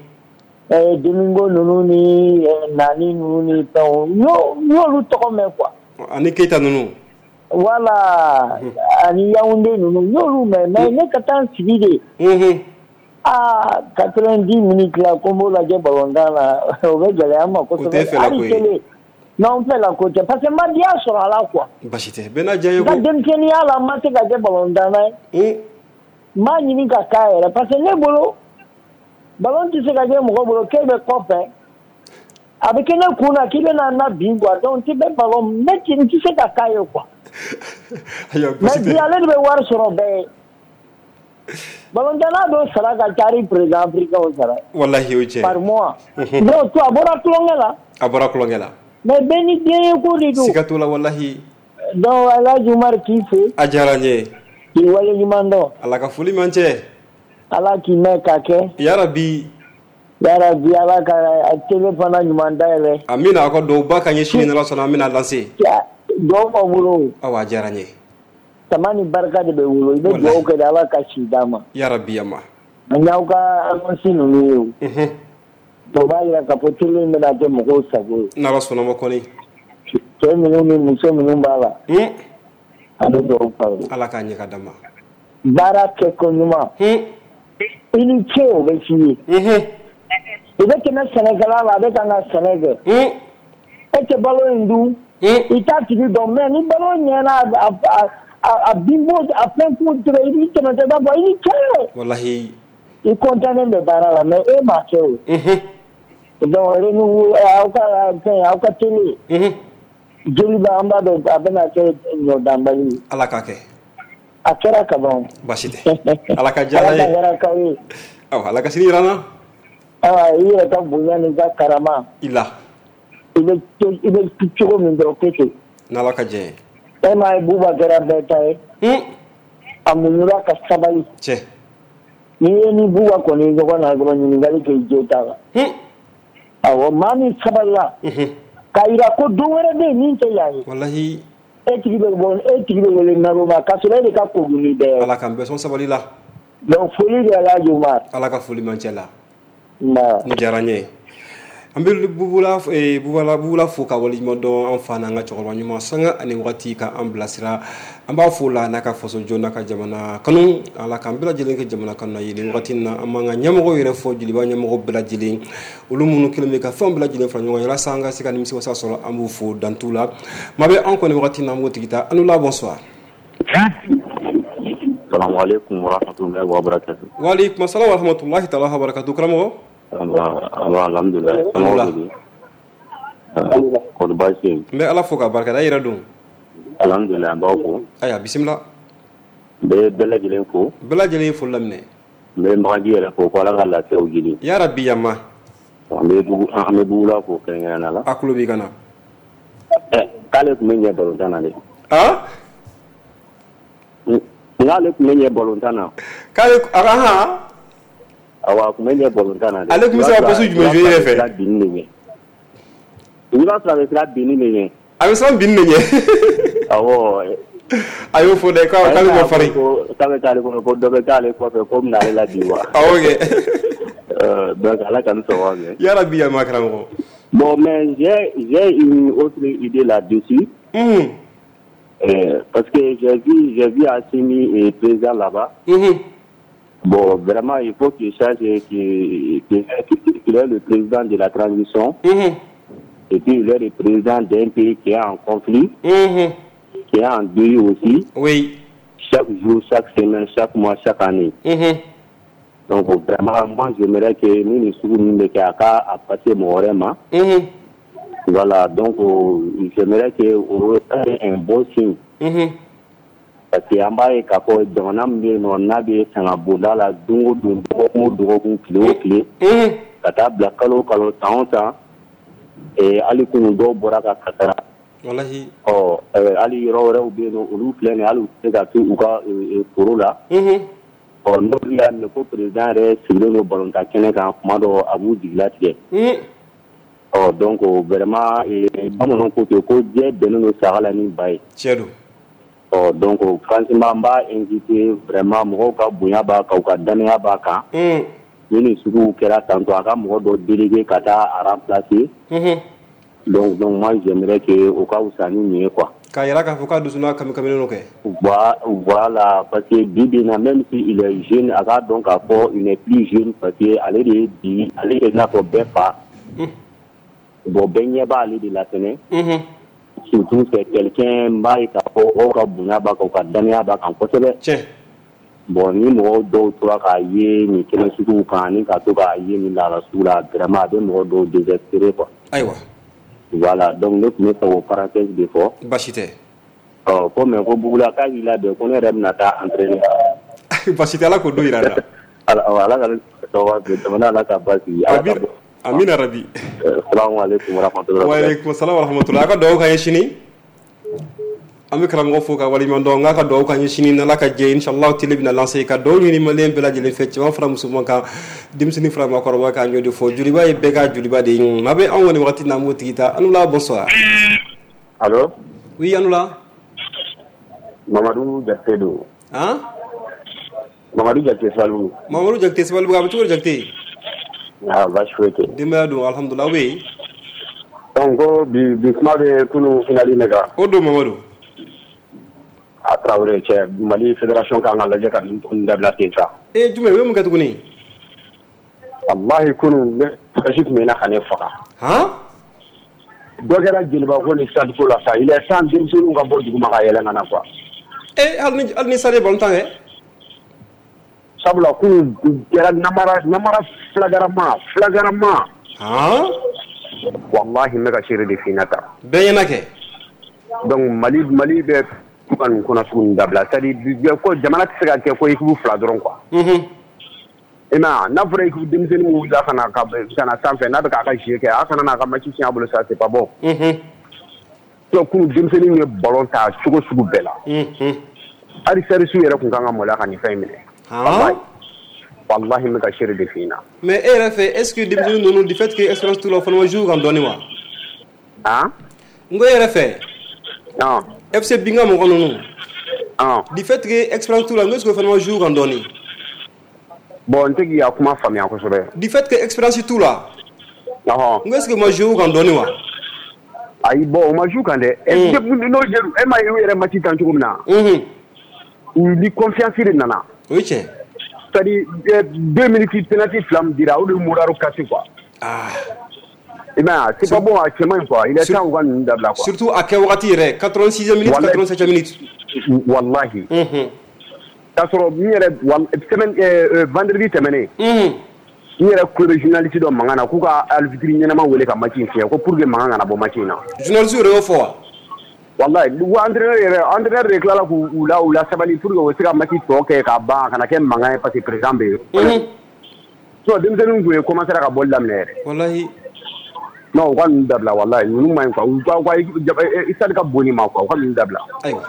Ɛɛ, Domingo ninnu ni Nani ninnu ni fɛnw, n y'olu tɔgɔ mɛn quoi. Ani Keyita ninnu. Voilà, ani Yaoundé ninnu, n y'olu mɛn, mais ne ka taa n sigi de. Aa, quatre-vingt-dix minutes la ko n b'o lajɛ balontan na, o bɛ gɛlɛya n ma kosɛbɛ. O tɛ fɛla ko ye. Hali télé. Non, n fɛla ko tɛ, parce que n ma diya sɔrɔ a la quoi. Baasi tɛ, bɛɛ n'a diya ye N ka ko. denmisɛnninya la, n ma se ka kɛ balontanna ye. N b'a ɲini ka k'a yɛrɛ, parce que ne bolo ballon tɛ se ka kɛ mɔgɔ bolo k'e bɛ kɔfɛ. A bɛ kɛ ne kun na k'i bɛna na bin quoi, donc t'i bɛ ballon ne n tɛ se ka k'a ye quoi. Ayiwa, Mais baasi bi tɛ. ale de bɛ wari sɔrɔ bɛɛ ye. Balontanna dɔw sara ka ca ni président africain sara. Walahi, o ye tiɲɛ. Par mois. Donc to a bɔra tulonkɛ la. A bɔra tulonkɛ la. Mais bɛɛ ni den ye ko de don. Siga t'o la, walahi. Donc El Hadj Umar k'i fo. A diyara n ye. K'i waleɲuman dɔn. Ala ka foli man cɛ. Ala k'i mɛn ka kɛ. Yarabi. Yarabi, Ala ka télé fana ɲuman dayɛlɛ. Amina, a ka duwawuba k'an ye sini n'Ala sɔnna, an bɛna lancer. Duwawu b'aw bolo. Awa, a diyara n ye. Tama ni barika de bɛ wolo, i bɛ duwawu kɛ de, Ala ka si d'a ma. Yarabi, ama. An y'aw ka annonce ninnu ye o. O b'a jira k'a fɔ télé in bɛna kɛ mɔgɔw sago ye. N'Ala sɔnna ma kɔni. Cɛ minnu ni muso minnu b'a la. A bɛ duwawu k'aw ye. Ala k'a ɲɛ ka d'an ma. Baara kɛko ɲuman. I ni ce, o bɛ f'i ye. I bɛ tɛmɛ sɛnɛkɛla la, a bɛ kan ka sɛnɛ kɛ. E tɛ balo in dun. I t'a tigi dɔn, mais ni balo ɲɛna, a a bin b'o a fɛn k'o tigɛ i b'i tɛmɛtɔ i b'a fɔ i ni ce. Walahi. I content bɛ baara la mais e m'a kɛ o. Unhun. Donc renouveau aw ka fɛn aw ka télé. Unhun. Joliba an b'a dɔn a bɛna kɛ ɲɔdanbali ye. Ala k'a kɛ. A kɛra ka ban. Baasi tɛ. Ala ka diya ye. Ala ka hɛrɛ k'aw ye. Awa Ala ka sini jira an na. Awa i yɛrɛ ka bonya n'i ka karama. I la. I bɛ i bɛ cogo min dɔrɔn kɛ ten. N'Ala ka jɛ ye. E m'a ye Buba kɛra bɛɛ ta ye. Un. A muɲura ka sabali. Tiɲɛ. N'i ye ni Buba kɔni ɲɔgɔn na dɔrɔn ɲininkali kɛ i jo t'a la. Un. Awɔ maa min sabalila. Unhun. K'a jira ko don wɛrɛ bɛ yen min tɛ yan ye. Walahi. E tigi bɛ bɔ e tigi bɛ wele naloma k'a sɔrɔ e de ka kogun ni bɛɛ ye. Ala k'an bɛɛ sɔn sabali la. Donc foli de Alhaji Umar. Ala ka foli man cɛ la. Nba. Nin diyara n ye. An bɛ Bubula Bubala Bubula fo ka waleɲuman dɔn an fa n'an ka cɛkɔrɔba ɲuman sanga ani waati ka an bilasira an b'a fo la n'a ka faso jɔ n'a ka jamana kanu Ala k'an bɛɛ lajɛlen kɛ jamana kanu ye nin waati in na an b'an ka ɲɛmɔgɔw yɛrɛ fɔ Joliba ɲɛmɔgɔ bɛɛ lajɛlen olu minnu kɛlen bɛ ka fɛnw bɛɛ lajɛlen fara ɲɔgɔn kan walasa an ka se ka nimisiwasa sɔrɔ an b'u fo dan t'u la maa bɛ an kɔni waati in na an b'o tigi ta an la bonsoir. Salamu aleykum wa rahmatulahi wa barakatuh. Wa aleykum salam wa rahmatulahi taala wa barakatuh karamɔgɔ. Alhamdulilayi. Kɔni baasi tɛ yen. N bɛ Ala fo k'a barikada i yɛrɛ dun. Alhamdulilayi an b'aw fo. Ayiwa bisimila. N bɛ bɛɛ lajɛlen fo. Bɛɛ lajɛlen ye foli laminɛ. N bɛ Magaji yɛrɛ fo ko Ala ka lafiyaw jidi. Yarabi yama. An bɛ bugu an bɛ Bugula fo kɛrɛnkɛrɛnnenya la. A tulo b'i kan na. Ɛ k'ale tun bɛ ɲɛ balontan na dɛ. Han. N k'ale tun bɛ ɲɛ balontan na. K'ale ahan. Awɔ a tun bɛ ɲɛ balontan na dɛ. Ale tun bɛ se ka poste jumɛn jouer i yɛrɛ fɛ? I b'a sɔrɔ a bɛ siran binni de ɲɛ. A bɛ siran binni de ɲɛ. Awɔ. A y'o fɔ dɛ k'ale ma farin. K'a bɛ k'ale kɔnɔ ko dɔ bɛ k'ale kɔfɛ ko bɛna ale labin wa. Awɔ kɛ. Donc Ala ka ni sɔn kɛ. Yarabi yama karamɔgɔ. Bon mais j'ai j'ai une autre idée là-dessus. Unhun. Euh, parce que j'ai vu j'ai vu Assimi et président là-bas. Unhun. Bon, vraiment, il faut qu'il sache qu'il qu'il est le président de la transition. Mmh. Et puis, il est le président d'un pays qui est en conflit, mmh. qui est en deuil aussi. Oui. Chaque jour, chaque semaine, chaque mois, chaque année. Mmh. Donc, vraiment, moi, j'aimerais que nous, nous soyons à passer mon rêve. Voilà, donc, j'aimerais que on ait un bon signe. Mmh. Parce que an b'a ye k'a fɔ jamana min bɛ yen nɔ n'a bɛ sanga bonda la don o don dɔgɔkun o dɔgɔkun tile o tile ka taa bila kalo o kalo san o san hali kunun dɔw bɔra ka kasara. Walahi. Ɔ hali yɔrɔ wɛrɛw bɛ yen nɔ olu filɛ nin ye hali u tɛ se ka to u ka foro la. Ɔ n'olu y'a mɛn ko président yɛrɛ sigilen don balontan kɛnɛ kan kuma dɔ a b'u jigilatigɛ. Ɔ donc vraiment bamananw ko ten ko jɛ bɛnnen don saga la ni ba ye. Tiɲɛ don. Ɔ donc franchement n b'a invité vraiment mɔgɔw ka bonya b'a kan u ka danaya b'a kan. Ni nin suguw kɛra tantôt a ka mɔgɔ dɔ délégué ka taa a remplacer. Donc donc moi j'aimerais que o ka wusa ni nin ye quoi. K'a yira k'a fɔ k'a dusu n'a kami kaminen don kɛ. Voilà parce que bi bi in na même si il est jeune a k'a dɔn k'a fɔ il n'est plus jeune parce que ale de ye bi ale de n'a fɔ bɛɛ fa. Bon bɛɛ ɲɛ b'ale de la fɛnɛ. Surtout c'est quelqu'un b'a ye k'a fɔ mɔgɔw ka bonya b'a kan u ka danaya b'a kan kosɛbɛ. Tiɲɛ. Bon ni mɔgɔw dɔw tora k'a ye nin kɛnɛ suguw kan ani ka to k'a ye nin lahala sugu la vraiment a bɛ mɔgɔ dɔw désespérer quoi. Ayiwa. Voilà donc ne tun bɛ fɛ k'o parenthèse de fɔ. Baasi tɛ. Ɔ ko mais ko Bugula k'a k'i labɛn ko ne yɛrɛ bɛna taa entraîner. Baasi tɛ Ala k'o don jira an na. Ala Ala ka sababu jamana Ala ka basigi. Amina rabi. Salamu aleykum wa rahmatulah. Wa aleykum salam wa rahmatulah. A ka dugawu k'an ye sini. An bɛ karamɔgɔ fo ka waleɲuman dɔn n k'a ka dugawu k'an ye sini n'Ala ka jɛ inshallah télé bɛna lancer ka dugawu ɲini maliyɛn bɛɛ lajɛlen fɛ cɛman fara musoman kan denmisɛnnin fara maakɔrɔba kan an y'o de fɔ Joliba ye bɛɛ ka joliba de ye maa bɛ anw kɔni wagati n'an b'o tigi ta an la bonsoir. Allo. Oui an la. Mamadu Jakite don. Han. Mamadu Jakite Sabalibugu. Mamadu Jakite Sabalibugu a bɛ cogo di Jakite? Ah baasi foyi tɛ. Denbaya dun alhamdulilah aw bɛ yen. Donc ko bi bi kuma bɛ kunun finale de kan. O don Mamadu. A Tarawele cɛ Mali fédération kan ka lajɛ ka nin dabila ten sa. Ee jumɛn u ye mun kɛ tuguni? Walahi kunun ne kasi tun bɛ na ka ne faga. Han? Dɔ kɛra Joliba ko ni stade ko la sa il est temps denmisɛnninw ka bɔ duguma ka yɛlɛ ka na quoi. Eh hali ni hali ni Stade ye ballon tan kɛ. Sabula k'u kɛra namara namara flagrant flagrant. Han. Wallahi n bɛ ka seere de f'i ɲɛna tan. Bɛɛ ɲɛna kɛ. Donc Mali Mali bɛ ka nin ko sugu ninnu dabila, c'est à dire ko jamana tɛ se ka kɛ ko équipe fila dɔrɔn quoi. Unhun. I m'a ye, n'a fɔra équipe denmisɛnnin min wulila ka na ka na sanfɛ n'a bɛ k'a ka jeu kɛ, a kana n'a ka match tiɲɛ a bolo, ça c'est pas bon. Unhun. Donc kunun denmisɛnnin ye ballon ta cogo sugu bɛɛ la. Unhun. Hali service yɛrɛ tun kan ka maloya ka nin fɛn in minɛ. Han. Wallahi n bɛ ka seere de f'i ɲɛna. Mais e yɛrɛ fɛ, est ce que denmisɛnnin ninnu, du fait que expérience t'u la, o fana ma jouer kan dɔɔnin wa? Han. N ko e yɛrɛ fɛ. Han. F C Binga mɔgɔ ninnu. Han. Du fait que expérience t'u la, n ko est ce que o fana ma jouer kan dɔɔnin? Bon, n tɛ k'i ka kuma faamuya kosɛbɛ. Du fait que expérience t'u la. Ɔhɔn. N ko est ce que o ma jouer kan dɔɔnin wa? Ayi, bon, o ma jouer kan dɛ. N'o e ma ye u yɛrɛ match tan cogo min na. Unhun. U ni confiance de nana. O ye tiɲɛ. C'est à dire deux minutes penalty fila min dira, o de ye moral cassé quoi. Ah. I m'a ye, c'est pas bon, a cɛ man ɲi quoi, il est temps u ka ninnu dabila quoi. Surtout a kɛ wagati yɛrɛ, quatre-vingt-sixième minute, quatre-vingt-septième minute. Wallahi. Unhun. K'a sɔrɔ n yɛrɛ semaine vendredi tɛmɛnen. Unhun. N yɛrɛ tulo bɛ journaliste dɔ mankan na k'u ka arbitre ɲɛnama wele ka match in fiɲɛ ko pour que mankan kana bɔ match in na. Journaliste yɛrɛ y'o fɔ wa? Wallahi, wa entraîneur yɛrɛ, entraîneur de tilala k'u la u la sabali pour que u bɛ se ka match tɔ kɛ k'a ban, a kana kɛ mankan ye parce que président bɛ yen. Unhun. Sinon denmisɛnninw tun ye commencé ka bɔli daminɛ yɛrɛ. Wallahi. Non, u ka ninnu dabila, wallahi, ninnu man ɲi quoi, u ka u ka stade ka bon nin ma quoi, u ka ninnu dabila. Ayiwa.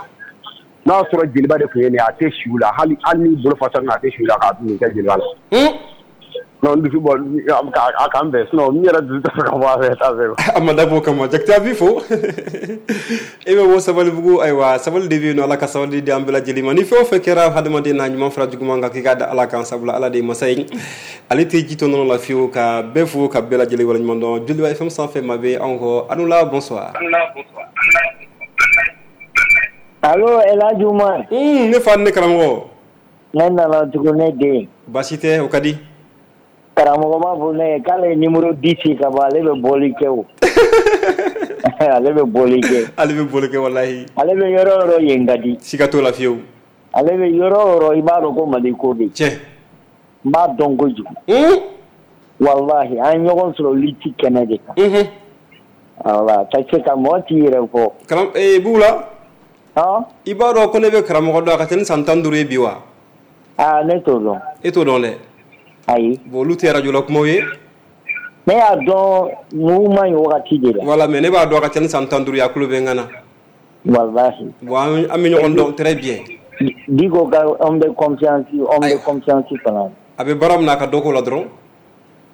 N'a y'a sɔrɔ Joliba de tun ye nin ye, a tɛ si u la, hali hali n'i bolo fa sanu a tɛ si u la k'a nin kɛ Joliba la. Non, n dusu bɔ a k'an bɛn, sinon n yɛrɛ dusu tɛ fɛ ka bɔ a fɛ t'a fɛ. A ma dabɔ o kama, Jakite, a b'i fo. E bɛ bɔ Sabalibugu, ayiwa, sabali de bɛ yen nɔ, Ala ka sabali di an bɛɛ lajɛlen ma. Ni fɛn o fɛn kɛra hadamaden na, ɲuman fara juguman kan, k'i k'a da Ala kan, sabula Ala de ye masa ye. Ale tɛ ji to nɔnɔ la fiyewu. Ka bɛɛ fo ka bɛɛ lajɛlen waleɲuman dɔn. Joliba F M sanfɛ, maa bɛ anw kɔ. Anula, bonsoir. Allo, El Hadj Umar. Ne fa, ne karamɔgɔ. Ne nana tugun, ne den. Baasi tɛ, o ka di. Karamɔgɔ b'a fɔ ne ye k'ale ye numéro dix ka bɔ, ale bɛ bɔli kɛ o. Ale bɛ bɔli kɛ. Ale bɛ bɔli kɛ walahi. Ale bɛ yɔrɔ o yɔrɔ, yen ka di. Siga t'o la fiyewu. Ale bɛ yɔrɔ o yɔrɔ, i b'a dɔn ko Mali ko bɛ yen. Tiɲɛ. N b'a dɔn kojugu. Walahi, an ye ɲɔgɔn sɔrɔ lutte kɛnɛ de kan. Wala ka se ka mɔgɔ t'i yɛrɛ fɔ. Karam ee Bugula. Han. I b'a dɔn ko ne bɛ karamɔgɔ dɔn a ka ca ni san tan duuru ye bi wa? Aa, ne t'o dɔn. E t'o dɔn dɛ. Ayi. Bon, olu tɛ radio la kumaw ye. Ne y'a dɔn mouvement in wagati de la. Voilà, mais ne b'a dɔn a ka ca ni san tan duuru ye, a tulo bɛ n kan na. Walahi. Bon, an bɛ ɲɔgɔn dɔn très bien. Diko ka homme de confiance, homme de confiance fana. A bɛ baara min na, a ka dɔ k'o la dɔrɔn.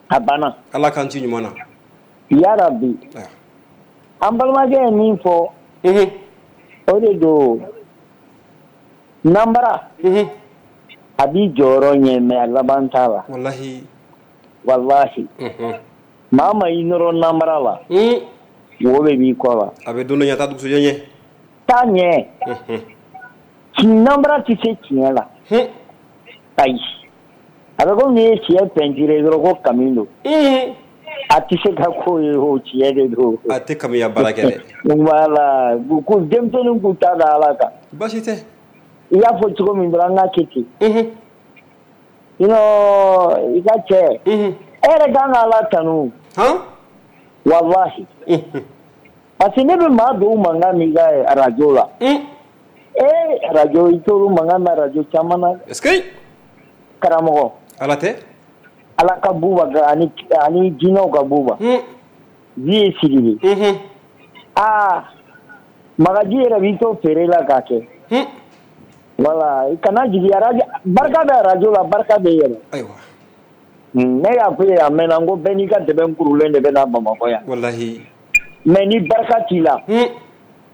A banna. Ala k'an ci ɲuman na. Yarabi. An balimakɛ ye min fɔ. Unhun. O de don. Nanbara. Unhun. A b'i jɔyɔrɔ ɲɛ, mais a laban t'a la. Walahi. Walahi. Unhun. Maa ma i nɔrɔ nanbara la. Un. Wo bɛ b'i kɔ la. A bɛ don dɔ ɲɛ, a t'a dugusɛjɛ ɲɛ. Taa ɲɛ. Unhun. Nanbara tɛ se tiɲɛ la. Hun. Ayi. A bɛ komi n'i ye tiɲɛ pɛntire dɔrɔn ko kami don. Unhun. A tɛ se ka ko ye, o tiɲɛ de don. A tɛ kamiya baara kɛ dɛ. Voilà, ko denmisɛnnin k'u ta da Ala kan. Baasi tɛ. I y'a fɔ cogo min dɔrɔn, an k'a kɛ ten. Unhun. Sinon i ka cɛ. Unhun. E yɛrɛ kan ka Ala tanu. Han. Walahi. Unhun. Parce que ne bɛ maa dɔw mankan mɛn i ka radio la. Un. Ee, radio, i t'olu mankan mɛn radio caman na. Est-ce que. Karamɔgɔ. Ala tɛ. Ala ka buba ani ani jinɛw ka buba. Un. Vie ye Sidibe. Unhun. Aa, Magaji yɛrɛ b'i to feere la k'a kɛ. Un. Voilà, i kana jigin radio, barika bɛ radio la, barika bɛ yɛrɛ. Ayiwa. Ne y'a fɔ ye a mɛnna, n ko bɛɛ n'i ka dɛbɛn kurulen de bɛ na Bamakɔ yan. Walahi. Mais ni barika t'i la. Un.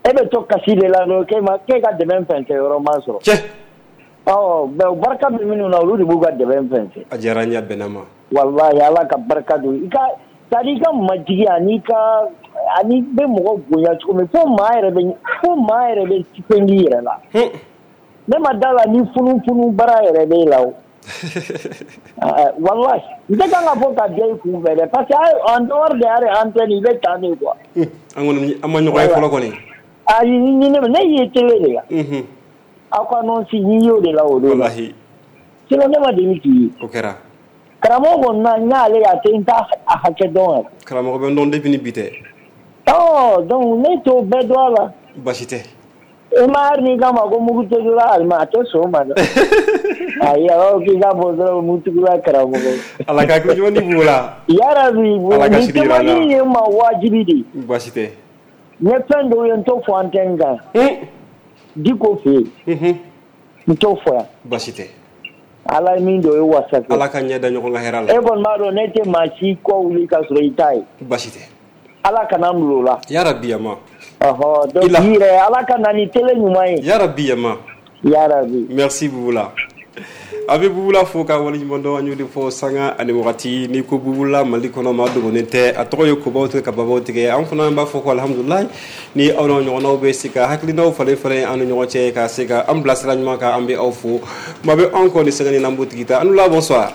E bɛ to kasi de la dɔrɔn, k'e ma k'e ka dɛbɛn fɛnsɛn yɔrɔ ma sɔrɔ. Cɛ. Ɔ, mais barika bɛ minnu na, olu de b'u ka dɛbɛn fɛnsɛn. A diyara n ye, a bɛnna ma. Walahi, Ala ka barika don i ka, c'est à dire i ka majigi ani ka ani bɛ mɔgɔ bonya cogo min, fo maa yɛrɛ bɛ fo maa yɛrɛ bɛ fɛn k'i yɛrɛ la. Ne ma da la ni funufunu bara yɛrɛ b'e la o. Walahi, n tɛ kan ka fɔ ka diya i kun fɛ dɛ, parce que en dehors de yɛrɛ antenne, i bɛ tan de quoi. An kɔni, an ma ɲɔgɔn ye fɔlɔ kɔni. Ayi, ni ne ne y'i télé de la. Unhun. Aw ka annonce n y'o de la o don. Walahi. Sinon ne ma deli k'i ye. O kɛra. Karamɔgɔ kɔni na n y'ale ye a tɛ n t'a hakɛ dɔn yɛrɛ. Karamɔgɔ bɛ n dɔn depuis ni bi tɛ. Ɔ donc ne t'o bɛɛ dɔn a la. Baasi tɛ. E ma hali n'i k'a ma ko mugutugula alima a tɛ sɔn o ma dɛ. Ayi a b'a fɔ k'i ka bɔ dɔrɔn mugutugula karamɔgɔ. Ala ka hakili ɲuman di Bubula. Yarabi nin témoignage ye n ma wajibi de ye. Baasi tɛ. N ye fɛn dɔw ye n t'o fɔ antenne kan. Diko fɛ yen. N t'o fɔ yan. Baasi tɛ. Ala ye min don o ye wasa kɛ. Ala ka ɲɛ da ɲɔgɔn ka hɛrɛ la. E kɔni b'a dɔn ne tɛ maa si kɔ wuli ka sɔrɔ i t'a ye. Baasi tɛ. Ala kana n bila o la. Yarabi yama. Ɔhɔ donc i yɛrɛ Ala ka na ni télé ɲuman ye. Yarabi yama. Yarabi. Merci Bubula. A bɛ Bubula fo ka waleɲuman dɔn an y'o de fɔ sanga ani wagati n'i ko Bubula Mali kɔnɔ maa dogolen tɛ a tɔgɔ ye kobaw tigɛ ka babaw tigɛ an fana b'a fɔ ko alihamudulilayi ni aw n'a ɲɔgɔnnaw bɛ se ka hakilinaw falen falen an ni ɲɔgɔn cɛ ka se ka an bilasira ɲuman kan an bɛ aw fo maa bɛ anw kɔ ni sanga ni n'an b'o tigi ta an la bonsoir.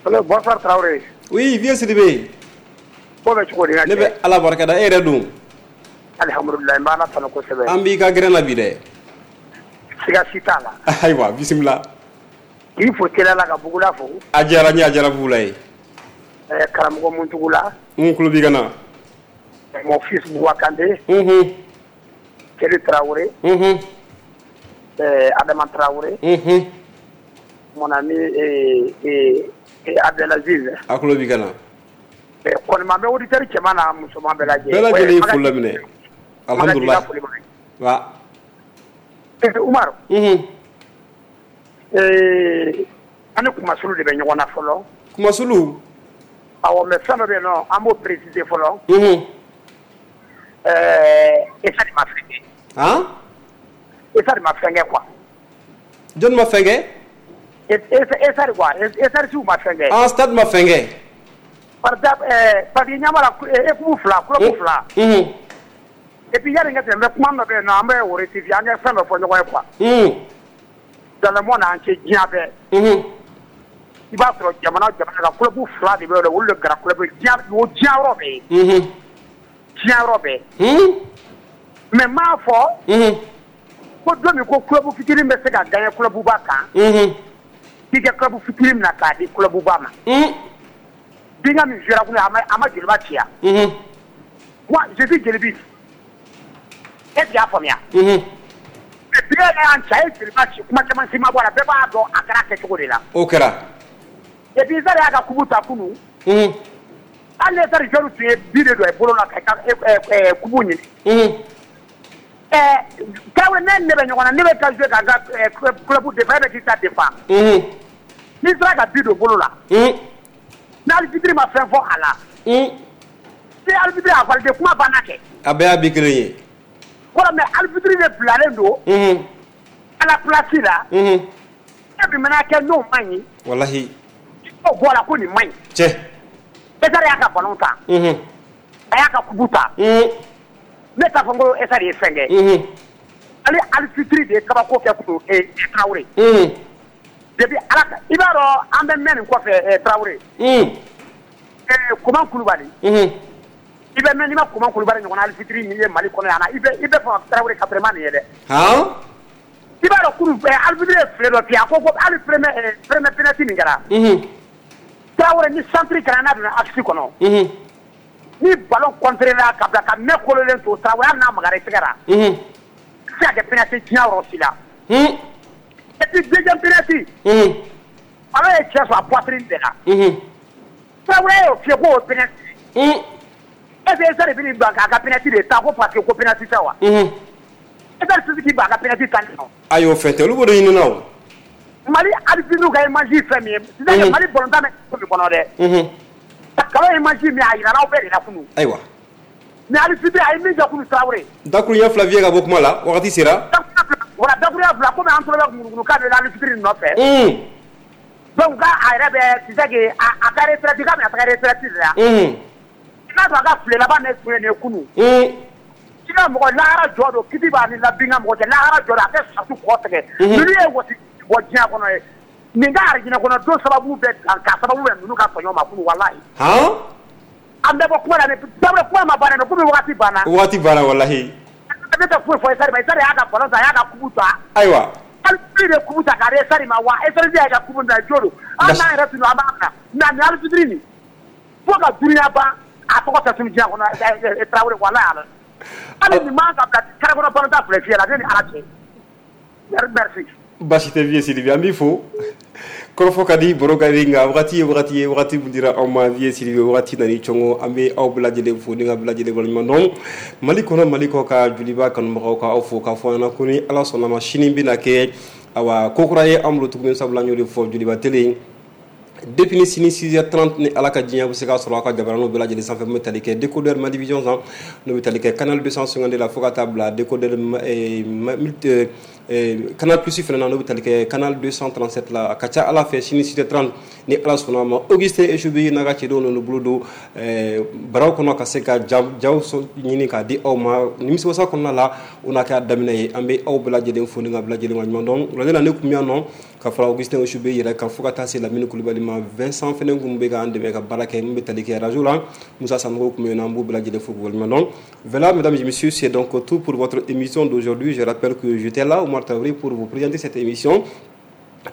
Allo bonsoir Traoré. Oui vieux Sidibé. Ko bɛ cogo di ne bɛ Ala barika da e yɛrɛ dun. Alihamudulilayi n bɛ Ala tanu kosɛbɛ. An b'i ka gɛrɛn na bi dɛ. Siga si t'a la. Ayiwa bisimila. K'i fo teliya la ka Bugula fo. A diyara n ye a diyara Bugula ye. Ɛɛ karamɔgɔ Muntugula. N tulo b'i ka na. Mon fils Bouba Kandé. Unhun. Keli Traoré. Unhun. Ɛɛ Adama Traoré. Unhun. Mon ami ee ee Abdelaziz. A tulo b'i ka na. Ɛɛ kɔni ma bɛ auditeur cɛman n'a musoman bɛɛ lajɛ. Bɛɛ lajɛlen ye foli laminɛ. Alhamdulilayi. Wa. Ɛɛ Umaru. Unhun. Ee an ni Kumasulu de bɛ ɲɔgɔn na fɔlɔ. Kumasulu. Awɔ mais fɛn dɔ bɛ yen nɔ an b'o préciser fɔlɔ. Unhun. Ɛɛ Esa de ma fɛn kɛ. Han? Esa de ma fɛn kɛ quoi. Jɔnni ma fɛn kɛ? Esa de quoi Esa siw ma fɛn kɛ. Ah stade ma fɛn kɛ. Par exemple ɛɛ parce que ɲɛ b'a la équipe fila club fila. Unhun. Et puis yanni n ka tɛmɛ n bɛ kuma dɔ bɛ yen nɔ an bɛ o rectifier an ka fɛn dɔ fɔ ɲɔgɔn ye quoi. Unhun. Dans le monde entier diɲɛ bɛɛ. Unhun. I b'a sɔrɔ jamana jamana ka club fila de bɛ yen olu de kɛra club diɲɛ o diɲɛ yɔrɔ bɛɛ. Unhun. Diɲɛ yɔrɔ bɛɛ. Un. Mais n m'a fɔ. Unhun. Ko don min ko club fitinin bɛ se ka gagner club ba kan. Unhun. K'i ka club fitinin minɛ k'a di club ba ma. Un. Binga min jouera kunun a ma a ma Joliba ci yan. Unhun. Moi je suis Jolibi. Est ce que i y'a faamuya? Unhun. Bi yɛrɛ y'an ci a ye Joliba ci kuma caman si ma bɔ a la bɛɛ b'a dɔn a kɛra kɛcogo de la. O kɛra. Et puis Zare y'a ka coupe ta kunun. Unhun. Hali ni Zare joueur tun ye but de don a bolo la ka ka coupe ɲini. Unhun. Ɛɛ Tarawele ne ne bɛ ɲɔgɔn na ne bɛ taa jouer ka n ka club défend e bɛ k'i ta défend. Unhun. N'i sera ka but don bolo la. Unhun. Ni arbitre ma fɛn fɔ a la. Un. Ni arbitre y'a validé kuma banna kɛ. A bɛɛ y'a bi kelen ye. Kɔrɔ mais arbitre de bilalen don. Unhun. À la place la. Unhun. E bi mana kɛ n'o man ɲi. Walahi. I b'o bɔ a la ko nin man ɲi. Cɛ. Esar y'a ka ballon ta. Unhun. A y'a ka coupe ta. Un. Ne t'a fɔ n ko Esar ye fɛn kɛ. Unhun. Ale arbitre de ye kabako kɛ kunun ee Traoré. Unhun. Depuis ala ka i b'a dɔn an bɛ mɛn nin kɔfɛ Traoré. Un. Ɛɛ Koman Kulubali. Unhun. I bɛ mɛn n'i ma Koman Kulubali ɲɔgɔnna arbitre min ye Mali kɔnɔ yan na i bɛ i bɛ fɔ Traoré ka vraiment nin ye dɛ. Han. I b'a dɔn kunun arbitre ye file dɔ fiyɛ a ko ko hali premier premier penalty min kɛra. Unhun. Traoré ni centre kɛra n'a donna axe kɔnɔ. Unhun. Ni ballon contré la ka bila ka mɛn kololen to Traoré hali n'a magara i tɛgɛ la. Unhun. Se ka kɛ penalty diɲɛ yɔrɔ si la. Un. Et puis deuxième penalty. Unhun. Ballon ye cɛ sɔrɔ a poitrine de la. Unhun. Traoré y'o fiyɛ k'o ye penalty. Un. Est ce que Esar bɛ n'i ban k'a ka penalty de ta ko parce que ko penalty tɛ wa? Unhun. Esar tɛ se k'i ban a ka penalty ta nɔ. Ayi o fɛn tɛ olu b'o de ɲini na o. Mali arbitre ka image fɛn min ye c'est-à-dire Mali ballon-tan bɛ ko min kɔnɔ dɛ. Unhun. Kalo image min a yirala aw bɛɛ de la kunun. Ayiwa. Mais arbitre a ye min kɛ kunun Traoré. Dakuruɲɛ fila fiyɛ ka bɔ kuma la wagati sera. Voilà dakuruɲɛ fila komi an tora bɛ ŋunuŋunukan de la arbitre nɔfɛ. Un. Donc k'a yɛrɛ bɛ tu sais que a ka retraite k'a bɛna taga retraite de la. Unhun. I n'a sɔrɔ a ka file laban de tun ye nin ye kunun. Un. I ka mɔgɔ lahara jɔ don kiti b'a ni labinka mɔgɔ cɛ lahara jɔ don a tɛ satu kɔ tigɛ. Ninnu ye wɔsi bɔ diɲɛ kɔnɔ ye. Nin ka arijinɛ kɔnɔ don sababu bɛ k'a sababu bɛ ninnu ka tɔɲɔ ma kunun walahi. Han. An bɛ bɔ kuma la Traoré kuma ma ban dɛ komi wagati banna. Wagati banna walahi. Ne tɛ foyi fɔ Esar ma Esar y'a ka ballon ta a y'a ka coupe ta. Ayiwa. Arbitre de coupe ta k'a di Stade ma wa Stade y'a ka coupe minɛ jo don. Hali n'an yɛrɛ tun don an b'a minɛ mais nin arbitre nin fo ka dunuya ban a tɔgɔ tɛ tunu diɲɛ kɔnɔ Tarawele walahi ala. Hali nin man ka bila carré kɔnɔ ballon filɛ fiyɛ la ne ni Ala cɛ. Merci. Baasi tɛ Vieux Sidibe, an b'i fo. Kɔrɔfɔ ka di, baro ka di, nka wagati ye wagati ye, wagati min dira aw ma Vieux Sidibe, wagati nana i cɔngɔ. An bɛ aw bɛɛ lajɛlen fo ni ka bɛɛ lajɛlen waleɲuman dɔn. Mali kɔnɔ, Mali kɔ ka Joliba kanubagaw ka aw fo k'a fɔ an ɲɛna ko ni Ala sɔnna ma sini bɛna kɛ awa ko kura ye an bolo tuguni, sabula an y'o de fɔ Joliba télé depuis ni sini six heures trente ni Ala ka diɲɛ bɛ se k'a sɔrɔ aw ka jabaraninw bɛɛ lajɛlen sanfɛ. Min bɛ tali kɛ décodeur Malivision san, n'o bɛ tali kɛ canal deux cent cinquante la fo ka taa bila décodeur Canal Plus fana na, n'o bɛ tali kɛ canal deux cent trente-sept la. A ka ca Ala fɛ sini six heures trente ni Ala sɔnna ma, Augustin Echobi n'a ka cɛdenw n'u bolo don baraw kɔnɔ ka se ka jaw ɲini k'a di aw ma nimisiwasa kɔnɔna la. O n'a kɛ a daminɛ ye. An bɛ aw bɛɛ lajɛlen fo ni ka bɛɛ lajɛlen waleɲuman dɔn. Wulada la ne tun bɛ yan nɔ ka fara Augustin Echobi yɛrɛ kan fo ka taa se Lamini Kulibali ma. Vincent fana tun bɛ k'an dɛmɛ ka baara kɛ min bɛ tali kɛ radio la. Musa Sanogo tun bɛ yen nɔ, an b'u bɛɛ lajɛlen fo k'u waleɲuman dɔn. Voilà, mesdames et messieurs, c'est donc tout pour votre émission d'aujourd'hui. Je rappelle que j'étais là, Omar Traoré, pour vous présenter cette émission.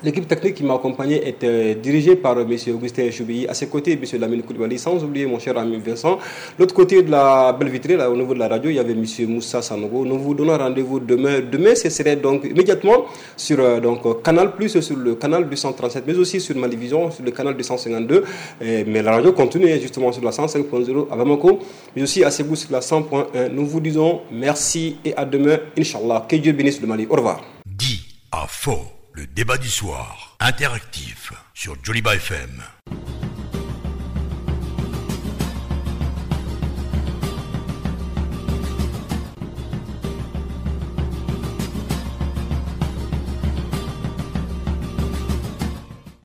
L'équipe technique qui m'a accompagné est euh, dirigée par M. Augustin Choubi. À ses côtés, M. Lamine Koulibaly, sans oublier mon cher ami Vincent. L'autre côté de la belle vitrée, là, au niveau de la radio, il y avait M. Moussa Sanogo. Nous vous donnons rendez-vous demain. Demain, ce serait donc immédiatement sur euh, donc, Canal Plus, sur le canal deux cent trente-sept, mais aussi sur Malivision, sur le canal deux cent cinquante-deux. Et, mais la radio continue justement sur la cent cinq point zéro à Bamako, mais aussi à Ségou sur la cent point un. Nous vous disons merci et à demain, Inch'Allah. Que Dieu bénisse le Mali. Au revoir. Dit à faux. Le débat du soir, interactif, sur Joliba F M.